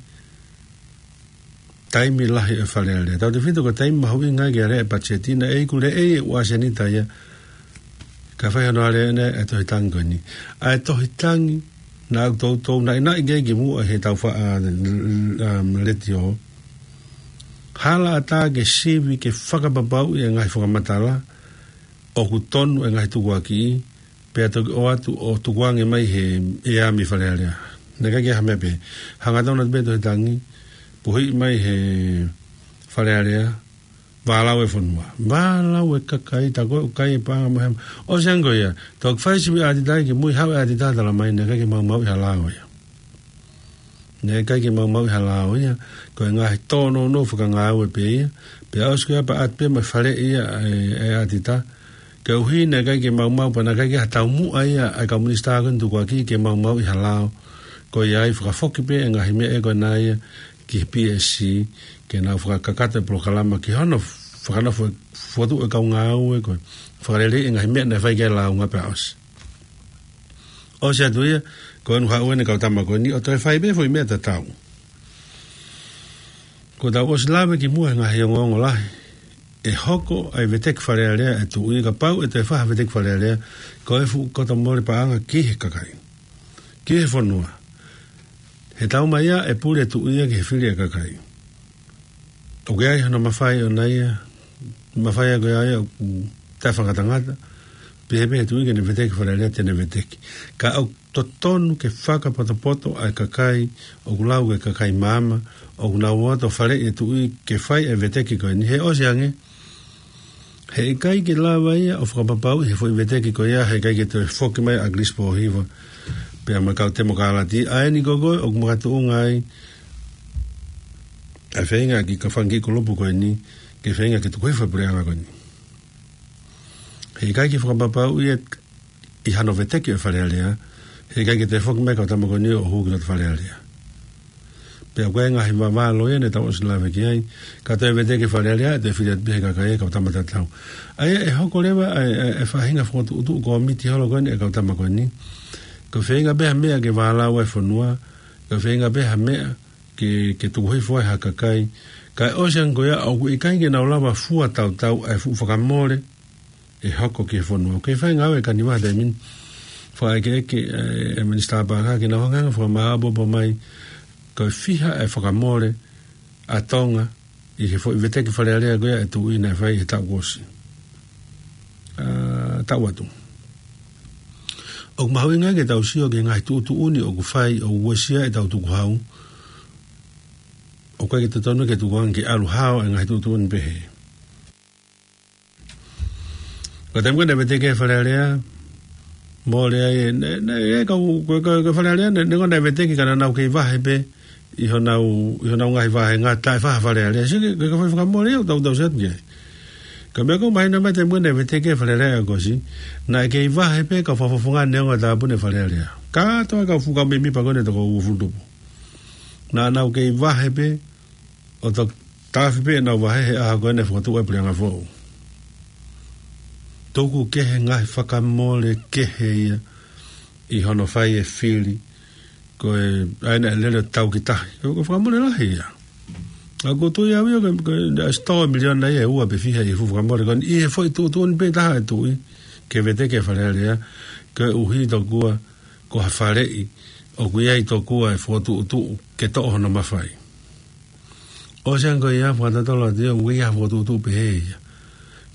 taimi lahi ʻo e Fale Alea. Tautefito ko e taimi mahuʻinga ke aleaʻi e patiseti, naʻe iku leʻei e ʻuasenita ia, kae fai hono alea ʻeni ʻa e tohi tangi ko eni. ʻA e tohi tangi naʻa ku toutou naʻinaʻi ki ai kimuʻa he tau fa-, ā, um, letiō. Hala ʻatā ke sivi ke fakapapauʻi e ngaahi fakamatala ʻoku tonu e ngaahi tukuakiʻi, pea toki ʻoatu ʻo tukuange mai he ʻea mei Fale Alea. Naʻe ʻikai ke ʻi ai ha meʻa pē. Hangatonu atu pē tohi tangi, puhiʻi mai he Fale Alea, vālau e fonua. Vālau e kakai, tā ko ē ʻoku kai e paʻanga mo e hā. ʻOsi ange ko ia, toki fai sivi ʻatita ki mui, haʻu e ʻatita tala mai naʻe ʻikai ke maumauʻi ha lao ia. Naʻe ʻikai ke maumauʻi ha lao ia, ko e ngaahi tōnounou fakangāue pē ia, pea ʻosi ko ia pea ʻatu pē mo e faleʻi ia ʻa e, ʻa e ʻatita, koeʻuhi naʻe ʻikai ke maumau pea naʻe ʻikai ke ʻi ai ha taumuʻa ia ʻa e kau minisitā ko eni tukuakiʻi ke maumauʻi ha lao, ko ia ai fakafoki pē e ngaahi meʻa ko ena ia ki he P S C, ke nau fakakakato e polokalama ki hono fakanofo fokotuʻu e kau ngāue ko e fakaleleiʻi e ngaahi meʻa naʻe fai ki ai e lāunga pea ʻosi. ʻOsi atu ia, ko eni haʻu eni e kau tama ko eni ʻo toe fai pē foʻi meʻa tatau. Kuo tau ʻosi lave kimuʻa he ngaahi ongoongo lahi. ʻE hoko ai e veteki Fale Alea ʻa e tuʻi, kapau ʻe toe fai ha veteki Fale Alea, ko e fuʻu koto mole paʻanga ki he kakai, ki he fonua. He taumaiā ʻe pule e tuʻi ia ki he fili ʻa e kakai. ʻOku ʻi ai hono mafai ʻona ia, mafai ʻa ko ia ia ʻoku taʻefakangatangata, pehē pē ʻe he tuʻi ke ne veteki Fale Alea te ne veteki. Ka ʻoku totonu ke fakapotopoto ʻa e kakai ʻoku lau ko e kakai maama, ʻoku nau ō atu ʻo faleʻi e tuʻi ke fai e veteki ko eni. He ʻosi ange, heʻikai ke lava ia ʻo fakapapauʻi he foʻi veteki ko ia, heʻikai ke toe foki mai ʻa ʻAkilisi Pōhiva pea mo e kau temokalati, ʻa eni ko ē ʻoku makatuʻunga ai ʻa e feinga ki he fanga kiʻi kulupu ko eni ke feinga ke tuku hifo e puleʻanga ko eni. Heʻikai ke fakapapauʻi ʻi hano veteki ʻo e Fale Alea, heʻikai ke toe foki mai e kau tama ko eni ʻo hū ki loto Fale Alea. Pea ko e ngaahi vavalo ia ne tau ʻosi lave ki ai, ka toe veteki Fale Alea, toe fili atu pē he kakai e kau tama tatau. ʻA ia ʻe hoko leva ʻa e, ʻa e, ʻa e faʻahinga fokotuʻutuʻu kōmiti holo ko eni e kau tama ko eni. Ko e feinga pē ha meʻa ke vālau ai e fonua, ko e feinga pē ha meʻa ke, ke tuku hifo ai ha kakai. Ka ʻosi ange ko ia ʻoku ʻikai ke nau lava fua tautau ʻa e fuʻu fakamole ʻe hoko ki he fonua. Ko e fai ngāue ʻa e kaniva he taimi ni. Fakaʻekeʻeke ʻe, ʻe Minisitā Pākaka ke nau hanga ʻo fakamāʻopoʻopo mai ko e fiha e fakamole ʻa Tonga ʻi he foʻi veteki Fale Alea ko ia ʻa e tuʻi naʻe fai he taʻu kuo ʻosi. ʻA, taʻu atu. ʻOku mahuʻinga ke tau sio ki he ngaahi tuʻutuʻuni ʻoku fai ʻo uesia ʻetau tukuhau. ʻOku ʻikai ke totonu ke tukuange ke ʻalu hao e ngaahi tuʻutuʻuni pehē. Ko e taimi ko ē naʻe veteki ai e Fale Alea, mole ai, ne, ne, e kau, ko, ko, ko e Fale Alea, ne, ne ko ē naʻe veteki ka naʻa nau kei vahe pē ʻi honau, ʻi honau ngaahi vahenga taʻe fai ha Fale Alea. Sio ki he, ki he fai fakamole ia, tau, tau sio atu ki ai. Ko e meʻa ʻoku mahino mai taimi ko ē naʻe veteki ai e Fale Alea ʻo ʻosi, naʻe kei vahe pē kau fakafofonga neongo e tāpuni e Fale Alea. Kātoa e kau fuʻu kau mēmipa ko eni ʻe toko uofulu tupu. Naʻa nau kei vahe pē, ʻo to-, tafi pē ʻenau vahe he ʻaho ko ē naʻe fokotuʻu ai e puleʻanga foʻou. Tuku kehe ngaahi fakamole kehe ia ʻi hono fai e fili, ko e ʻai naʻe lele ʻo tau ki tahi. Ko e, ko e fakamole lahi ia. ʻOku ou tui au ia ko e, ko e, naʻe ʻosi tō e miliona ia ʻe ua pe fiha ʻi he fuʻu fakamole ko eni ʻi he foʻi tuʻutuʻuni pē taha e tuʻi ke veteki e Fale Alea, koeʻuhi tokua ko ha faleʻi ʻoku ʻi ai tokua e fokotuʻutuʻu ke toʻo hono mafai. ʻOsi ange ko ia, fakatotolo atu ia, ʻoku ʻi ai ha fokotuʻutuʻu pehē ia.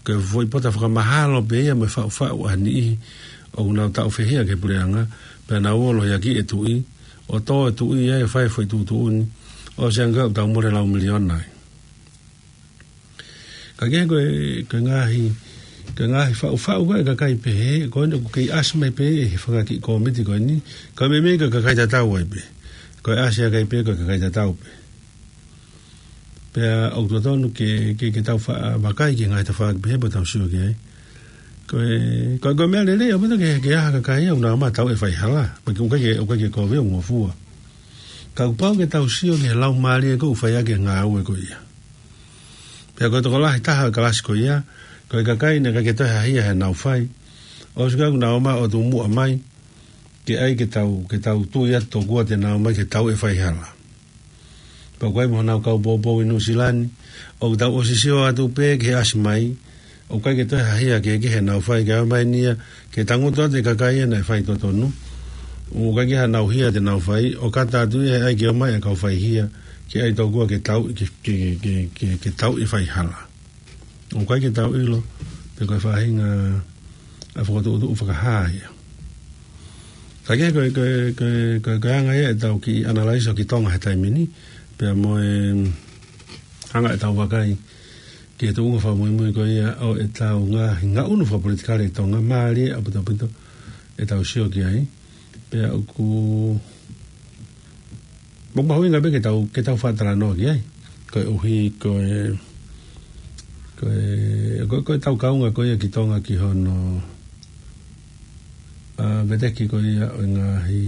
Ko e foʻi pota fakamahalo pē ia mo e faʻufaʻu ʻa e niʻihi ʻoku nau taʻu fehia ki he puleʻanga, pea nau ō ʻo lohiakiʻi e tuʻi, ʻo tō e tuʻi ia ʻo fai e foʻi tuʻutuʻuni, ʻosi ange ko ia ʻoku tau mole lau miliona ai. Ka kehe ko e, ko e ngaahi, ko e ngaahi faʻufaʻu ko ē ʻa e kakai pehē, ko eni ʻoku kei ʻasi mai pē ʻe he fanga kiʻi kōmiti ko eni, ka meimei ko e kakai tatau ai pē. Ko e ʻasi ʻa e kakai pē, ko e kakai tatau pē. Pea ʻoku totonu ke, ke, ke tau fa-, vakai ki he ngaahi tafaʻaki pehē pea tau sio ki ai. Ko e, ko e, ko e meʻa lelei ʻaupito ke, ke ʻi ai ha kakai ia ʻoku nau ō mai ʻo tauʻi e faihala. Pea ʻoku ʻikai ke, ʻoku ʻikai ke kovi ʻo ngofua. Ka kuo pau ke tau sio ki he laumālie ko ē ʻoku fai ʻaki e ngāue ko ia. Pea ko e tokolahi taha e kalasi ko ia, ko e kakai naʻe ʻikai ke toe hahia heʻenau fai. ʻOsi ko ia kuo nau ō mai ʻo tuʻu muʻa mai, ke ʻai ke tau, ke tau tui atu tokua te nau ō mai ke tauʻi e faihala. Pea ko e ʻai mo honau kau poupou ʻi Nuʻusila ni, ʻoku tau ʻosi sio atu pē ki he ʻasi mai, ʻoku ʻikai ke toe hahia kehekehe heʻenau fai, kae ʻomai eni ia ke tangutu atu e kakai ia naʻe fai totonu. ʻOku ʻikai ke ʻi ai hanau hia te nau fai, ʻo kata atu ia he ʻai ke ō mai e kau faihia, ke ʻai tokua ke tau, ke, ke, ke, ke, ke tauʻi e faihala. ʻOku ʻikai ke tau ʻilo pe ko e faʻahinga ʻa e fokotuʻutuʻu fakahā ia. Ka kehe ko e, ko e, ko e, ko e, ko e anga ia ʻetau kiʻi ʻanalaiso ki Tonga he taimi ni, pea mo e anga ʻetau vakai ki he tuʻunga fakamuimui ko ia ʻo ʻetau ngaahi ngaʻunu fakapolitikale ʻi Tonga, mālie ʻaupito ʻaupito ʻetau sio ki ai. Pea ʻoku, ʻoku mahuʻinga pē ke tau, ke tau faʻa talanoa ki ai. Koeʻuhi ko e, ko e, ko e, ko ʻetau kaunga ko ia ki Tonga ki hono, ʻa, veteki ko ia ʻo e ngaahi,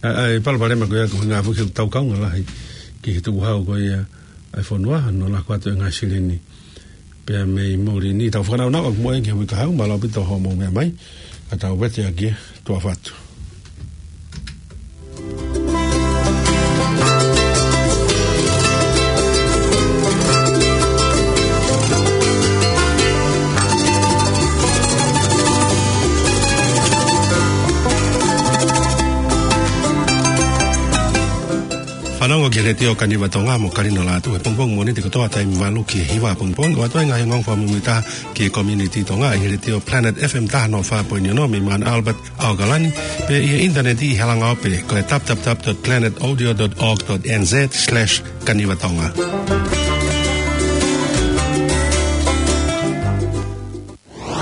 ʻa, ʻa e palopalema ko ia ko e ngaahi fuʻu tau kaunga lahi ki he tukuhau ko ia ʻa e fonua, hono laku atu e ngaahi silini. Pea mei muli ni tau fakanaunau ʻaki mo e ki he uike kahaʻu, mālō ʻaupito hoʻomou meʻa mai, ka tau vete ʻaki e tuʻa fatu. Fanongo ki he Letiō Kaniva Tonga mo Kalino Lātū he pongipongi Mōnite kotoa taimi valu ki he hiva pongipongi, ʻo ʻoatu ai e ngaahi ongoongo fakamuimuitaha ki he community Tonga ʻi he Letiō Planet F M taha noa fā poini ono mei Mount Albert, ʻAokalani, pea ʻi he ʻinitaneti ʻi he langa ope ko e w w w dot planet audio dot org dot n z slash kaniva tonga.